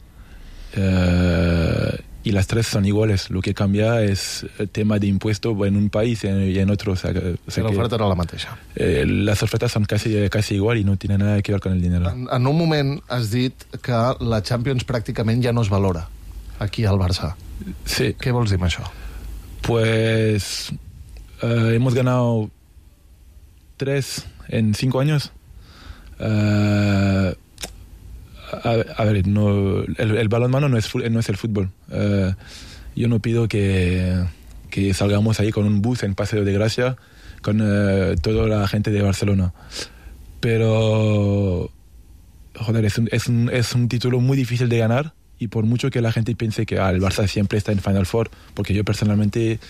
y las tres son iguales. Lo que cambia es el tema de impuesto en un país y en otro. La oferta era la mateixa. Las ofertas son casi igual y no tienen nada que ver con el dinero. En un moment has dit que la Champions pràcticament ja no es valora aquí al Barça. Sí. Què vols dir amb això? Pues hemos ganado 3 en 5 años. A ver, no, el balonmano no es el fútbol. Yo no pido que salgamos ahí con un bus en Paseo de Gracia con toda la gente de Barcelona. Pero, joder, es un título muy difícil de ganar, y por mucho que la gente piense que el Barça siempre está en Final Four, porque yo personalmente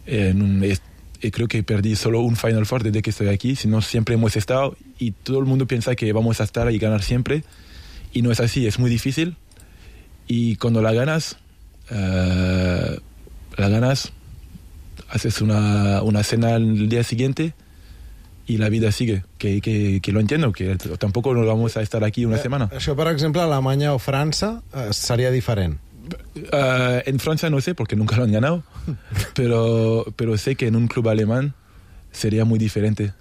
creo que perdí solo un Final Four desde que estoy aquí, sino siempre hemos estado, y todo el mundo piensa que vamos a estar y ganar siempre, y no es así, es muy difícil, y cuando la ganas, haces una cena el día siguiente i la vida sigue, que lo entiendo, que tampoco nos vamos a estar aquí una semana. Això, per exemple, Alemanya o França seria diferent. En Francia no sé, porque nunca lo han ganado, pero sé que en un club alemán sería muy diferente.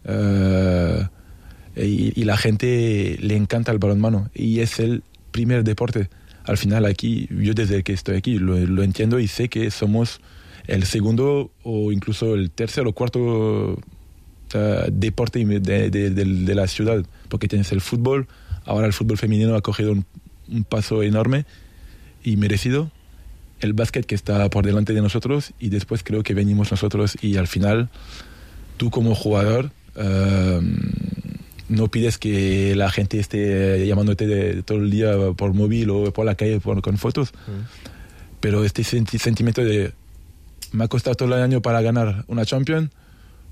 Y la gente le encanta el balonmano, y es el primer deporte. Al final aquí, yo desde que estoy aquí lo entiendo, y sé que somos el segundo o incluso el tercer o cuarto deporte de la ciudad, porque tienes el fútbol. Ahora el fútbol femenino ha cogido un paso enorme y merecido, el básquet que está por delante de nosotros, y después creo que venimos nosotros, y al final tú como jugador no pides que la gente esté llamándote todo el día por móvil o por la calle con fotos, pero este sentimiento de me ha costado todo el año para ganar una Champions,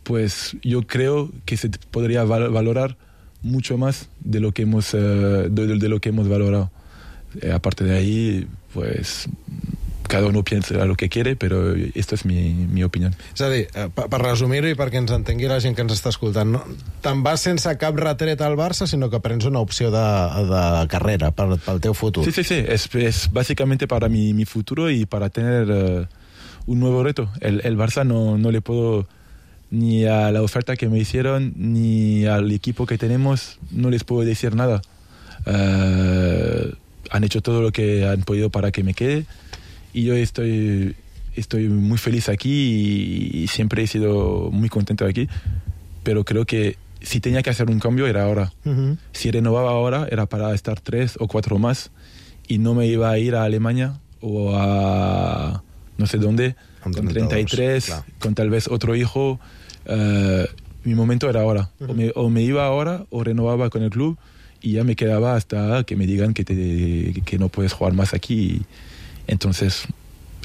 pues yo creo que se podría valorar mucho más de lo que hemos valorado. Aparte de ahí, pues cada uno piensa lo que quiere, pero esta es mi opinió. És a dir, per resumir-ho i perquè ens entengui la gent que ens està escoltant, no? Te'n vas sense cap retret al Barça, sinó que prens una opció de carrera pel teu futur. Sí. Es básicamente para mi futuro y para tener un nuevo reto. El Barça no le puedo, ni a la oferta que me hicieron, ni al equipo que tenemos, no les puedo decir nada. Han hecho todo lo que han podido para que me quede, y yo estoy muy feliz aquí, y siempre he sido muy contento aquí, pero creo que si tenía que hacer un cambio era ahora. Si renovaba ahora era para estar 3 o 4 más, y no me iba a ir a Alemania o a no sé dónde, con 33, claro, con tal vez otro hijo. Mi momento era ahora. O me iba ahora o renovaba con el club, y ya me quedaba hasta que me digan que no puedes jugar más aquí. Entonces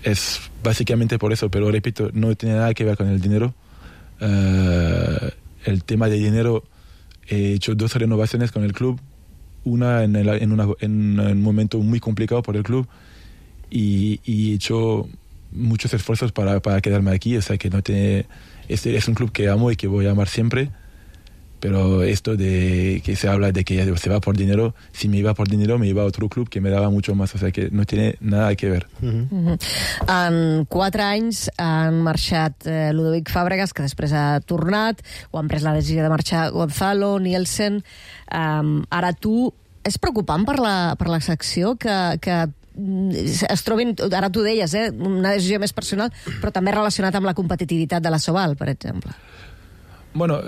es básicamente por eso, pero repito, no tiene nada que ver con el dinero. El tema de dinero, he hecho 2 renovaciones con el club, una en un momento muy complicado por el club, y he hecho muchos esfuerzos para quedarme aquí. O sea que es un club que amo y que voy a amar siempre, pero esto de que se habla de que se va por dinero, si me iba por dinero me iba a otro club que me daba mucho más, o sea que no tiene nada que ver. En 4 anys han marxat Ludovic Fàbregas, que després ha tornat, o han pres la decisió de marxar Gonzalo, Nielsen. Ara tu, és preocupant per la secció que es trobin, ara tu deies, una decisió més personal, però també relacionat amb la competitivitat de la Sobal, per exemple. Bueno,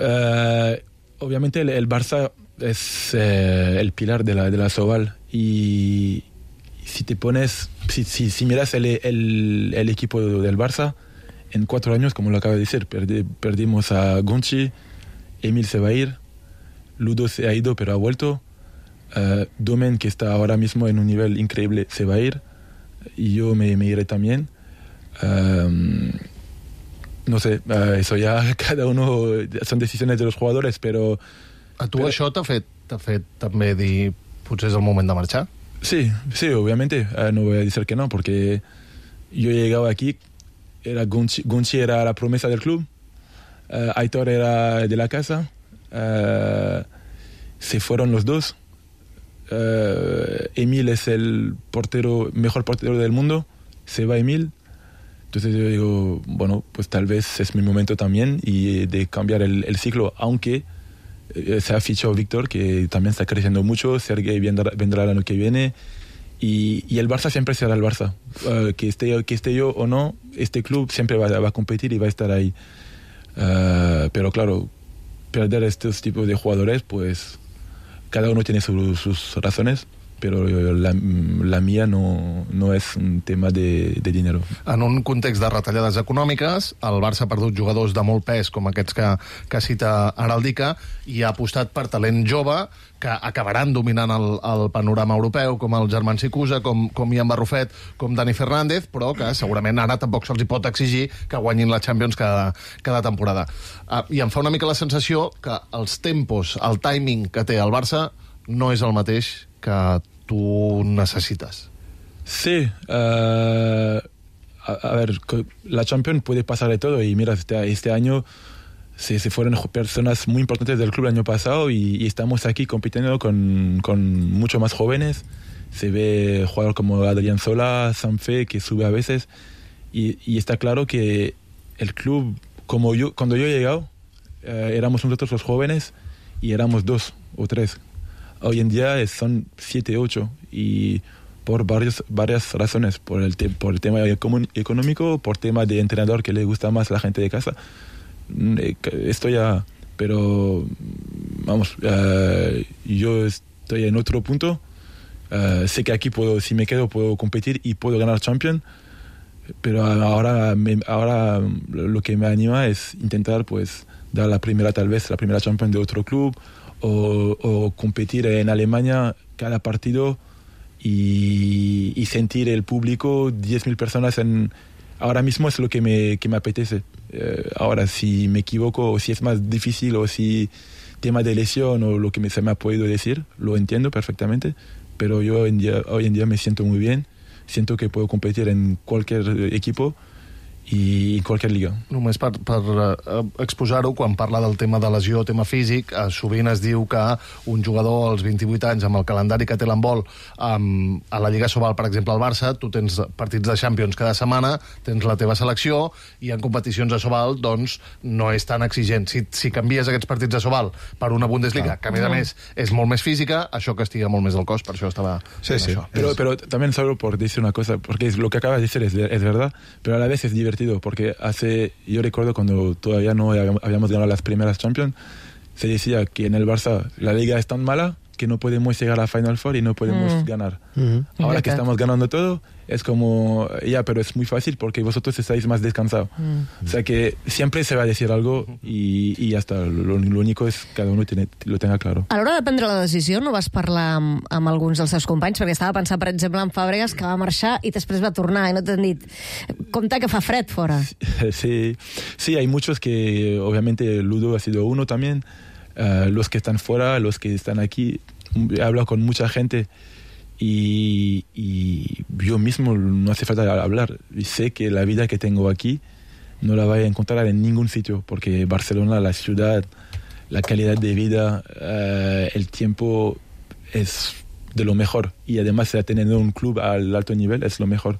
obviamente el Barça es el pilar de la Sobal, y si te pones, si miras el equipo del Barça, en 4 años, como lo acabo de decir, perdimos a Gonchi, Emil se va a ir, Ludo se ha ido pero ha vuelto, Domen, que está ahora mismo en un nivel increíble, se va a ir, y yo me iré también. No sé, eso ya cada uno, son decisiones de los jugadores, pero... A tu això t'ha fet també dir potser és el moment de marxar? Sí, obviamente, no voy a decir que no, porque yo llegaba aquí, Gonchi era la promesa del club, Aitor era de la casa, se fueron los 2, Emil es el mejor portero del mundo, se va Emil. Entonces yo digo, bueno, pues tal vez es mi momento también y de cambiar el ciclo, aunque se ha fichado Víctor, que también está creciendo mucho, Sergei vendrá el año que viene, Y el Barça siempre será el Barça. Que esté yo o no, este club siempre va a competir y va a estar ahí. Pero claro, perder estos tipos de jugadores, pues cada uno tiene sus razones, però la mia no és un tema de dinero. En un context de retallades econòmiques, el Barça ha perdut jugadors de molt pes, com aquests que cita ara el Dica, i ha apostat per talent jove que acabaran dominant el panorama europeu, com el Germán Sicusa, com Ian Barrufet, com Dani Fernández, però que segurament ara tampoc se'ls pot exigir que guanyin la Champions cada temporada. I em fa una mica la sensació que els tempos, el timing que té el Barça no és el mateix que tú necesitas. Sí, a ver, la Champions puede pasar de todo y mira, este año se fueron personas muy importantes del club el año pasado y estamos aquí compitiendo con mucho más jóvenes. Se ve jugadores como Adrián Sola, Sanfe, que sube a veces y está claro que el club, cuando yo he llegado, éramos nosotros los jóvenes y éramos 2 o 3. Hoy en día son 7, 8 y por varias razones, por el tema económico, por tema de entrenador que le gusta más a la gente de casa. Esto ya, pero vamos, yo estoy en otro punto. Sé que aquí si me quedo puedo competir y puedo ganar Champions, pero ahora lo que me anima es intentar pues dar la primera Champions de otro club. O competir en Alemania cada partido y sentir el público, 10.000 personas ahora mismo es lo que me apetece. Ahora, si me equivoco o si es más difícil o si tema de lesión o lo que se me ha podido decir, lo entiendo perfectamente, pero yo hoy en día me siento muy bien, siento que puedo competir en cualquier equipo i en qualsevol liga. Només per exposar-ho, quan parla del tema de lesió, tema físic, sovint es diu que un jugador als 28 anys, amb el calendari que té l'handbol, a la Lliga Sobal, per exemple, al Barça, tu tens partits de Champions cada setmana, tens la teva selecció, i en competicions de Sobal, doncs, no és tan exigent. Si canvies aquests partits de Sobal per una Bundesliga, que a més és molt més física, això castiga molt més el cos, per això estava... Sí. Pero también solo por decir una cosa, porque lo que acabas de decir es verdad, pero a la vez es divertido, porque yo recuerdo cuando todavía no habíamos ganado las primeras Champions, se decía que en el Barça la liga es tan mala que no podemos llegar a Final Four y no podemos ganar. Ahora que estamos ganando todo, es como, pero es muy fácil porque vosotros estáis más descansados. O sea que siempre se va a decir algo y ya está. Lo único es que cada uno lo tenga claro. A l'hora de prendre la decisió, no vas parlar amb alguns dels seus companys? Perquè estava pensant, per exemple, en Fàbregas, que va marxar i després va tornar i no t'han dit, compte que fa fred fora. Sí, hay muchos que, obviamente, Ludo ha sido uno también. Los que están fuera, los que están aquí, he hablado con mucha gente y yo mismo no hace falta hablar. Y sé que la vida que tengo aquí no la voy a encontrar en ningún sitio, porque Barcelona, la ciudad, la calidad de vida, el tiempo es de lo mejor, y además teniendo un club al alto nivel es lo mejor.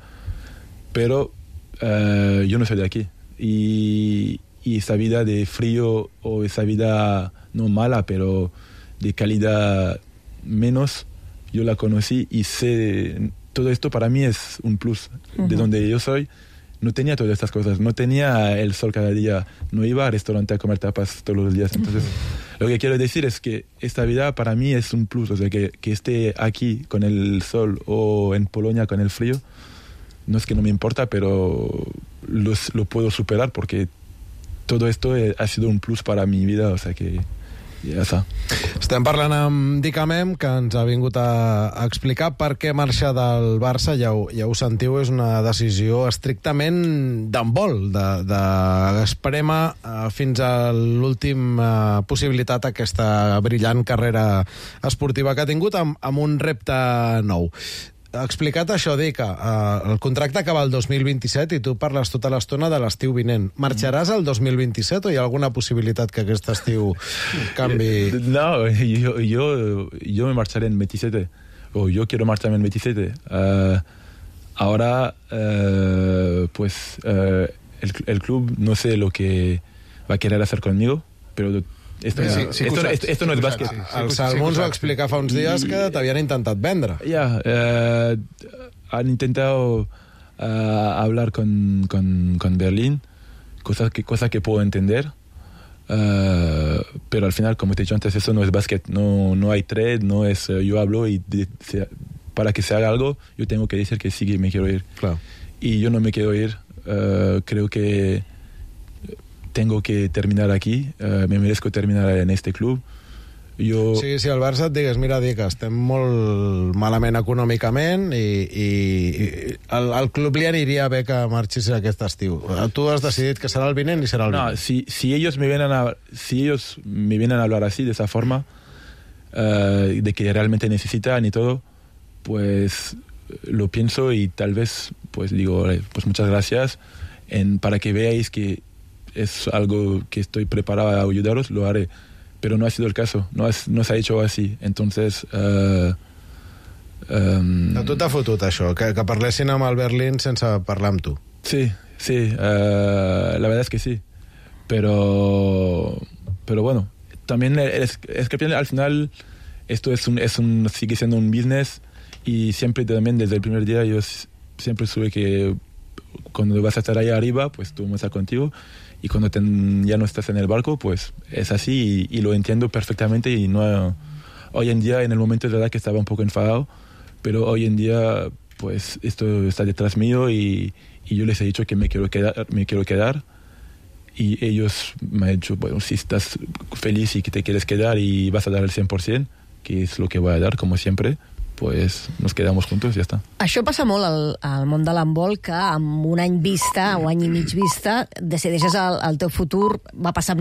Pero yo no soy de aquí y esa vida de frío o esa vida no mala, pero de calidad menos, yo la conocí y sé, todo esto para mí es un plus. De donde yo soy no tenía todas estas cosas, no tenía el sol cada día, no iba al restaurante a comer tapas todos los días. Entonces lo que quiero decir es que esta vida para mí es un plus, o sea, que esté aquí con el sol o en Polonia con el frío, no es que no me importa, pero lo puedo superar porque todo esto ha sido un plus para mi vida, o sea que ja està. Estem parlant amb Dicamem, que ens ha vingut a explicar per què marxa del Barça. Ja ho sentiu, és una decisió estrictament d'handbol, d'esprema fins a l'última possibilitat aquesta brillant carrera esportiva que ha tingut amb un repte nou. Explicat això, Dica, el contracte acaba el 2027 i tu parles tota l'estona de l'estiu vinent. Marxaràs al 2027 o hi ha alguna possibilitat que aquest estiu canvi? No, yo me marcharé en 27, o yo quiero marcharme en 27. Ahora, pues, el club no sé lo que va a querer hacer conmigo, pero Esto no es básquet. El Salmons va explicar fa uns dies que t'havien intentat vendre. Han intentado hablar con Berlín, cosa que puedo entender, pero al final, como te he dicho antes, eso no es básquet, no hay trade, no es yo hablo y para que se haga algo, yo tengo que decir que sí, que me quiero ir. Claro. Y yo no me quiero ir, creo que tengo que terminar aquí, me merezco terminar en este club. Sí, si el Barça et digués, mira, dic, estem molt malament econòmicament i al club li aniria bé que marxis aquest estiu. Tu has decidit que serà el vinent i serà el vinent. No, si ellos me vienen a hablar así, de esa forma, de que realmente necesitan y todo, pues lo pienso y tal vez pues digo, pues muchas gracias, para que veáis que es algo que estoy preparado a ayudaros, lo haré. Pero no ha sido el caso, no se ha hecho así. Entonces... A tu t'ha fotut això, que parlessin amb el Berlín sense parlar amb tu. Sí, la verdad es que sí. Pero bueno, también es que al final esto sigue siendo un business y siempre también desde el primer día yo siempre supe que cuando vas a estar ahí arriba, pues tú vas a estar contigo. Y cuando ya no estás en el barco, pues es así y lo entiendo perfectamente. Y no, hoy en día, en el momento de verdad que estaba un poco enfadado, pero hoy en día, pues esto está detrás mío y yo les he dicho que me quiero quedar. Y ellos me han dicho, bueno, si estás feliz y que te quieres quedar y vas a dar el 100%, que es lo que voy a dar, como siempre, pues nos quedamos juntos y ya está. Això passa molt al món de l'handbol, que amb un any vista o any i mig vista decideixes el teu futur. Va passar amb Nil,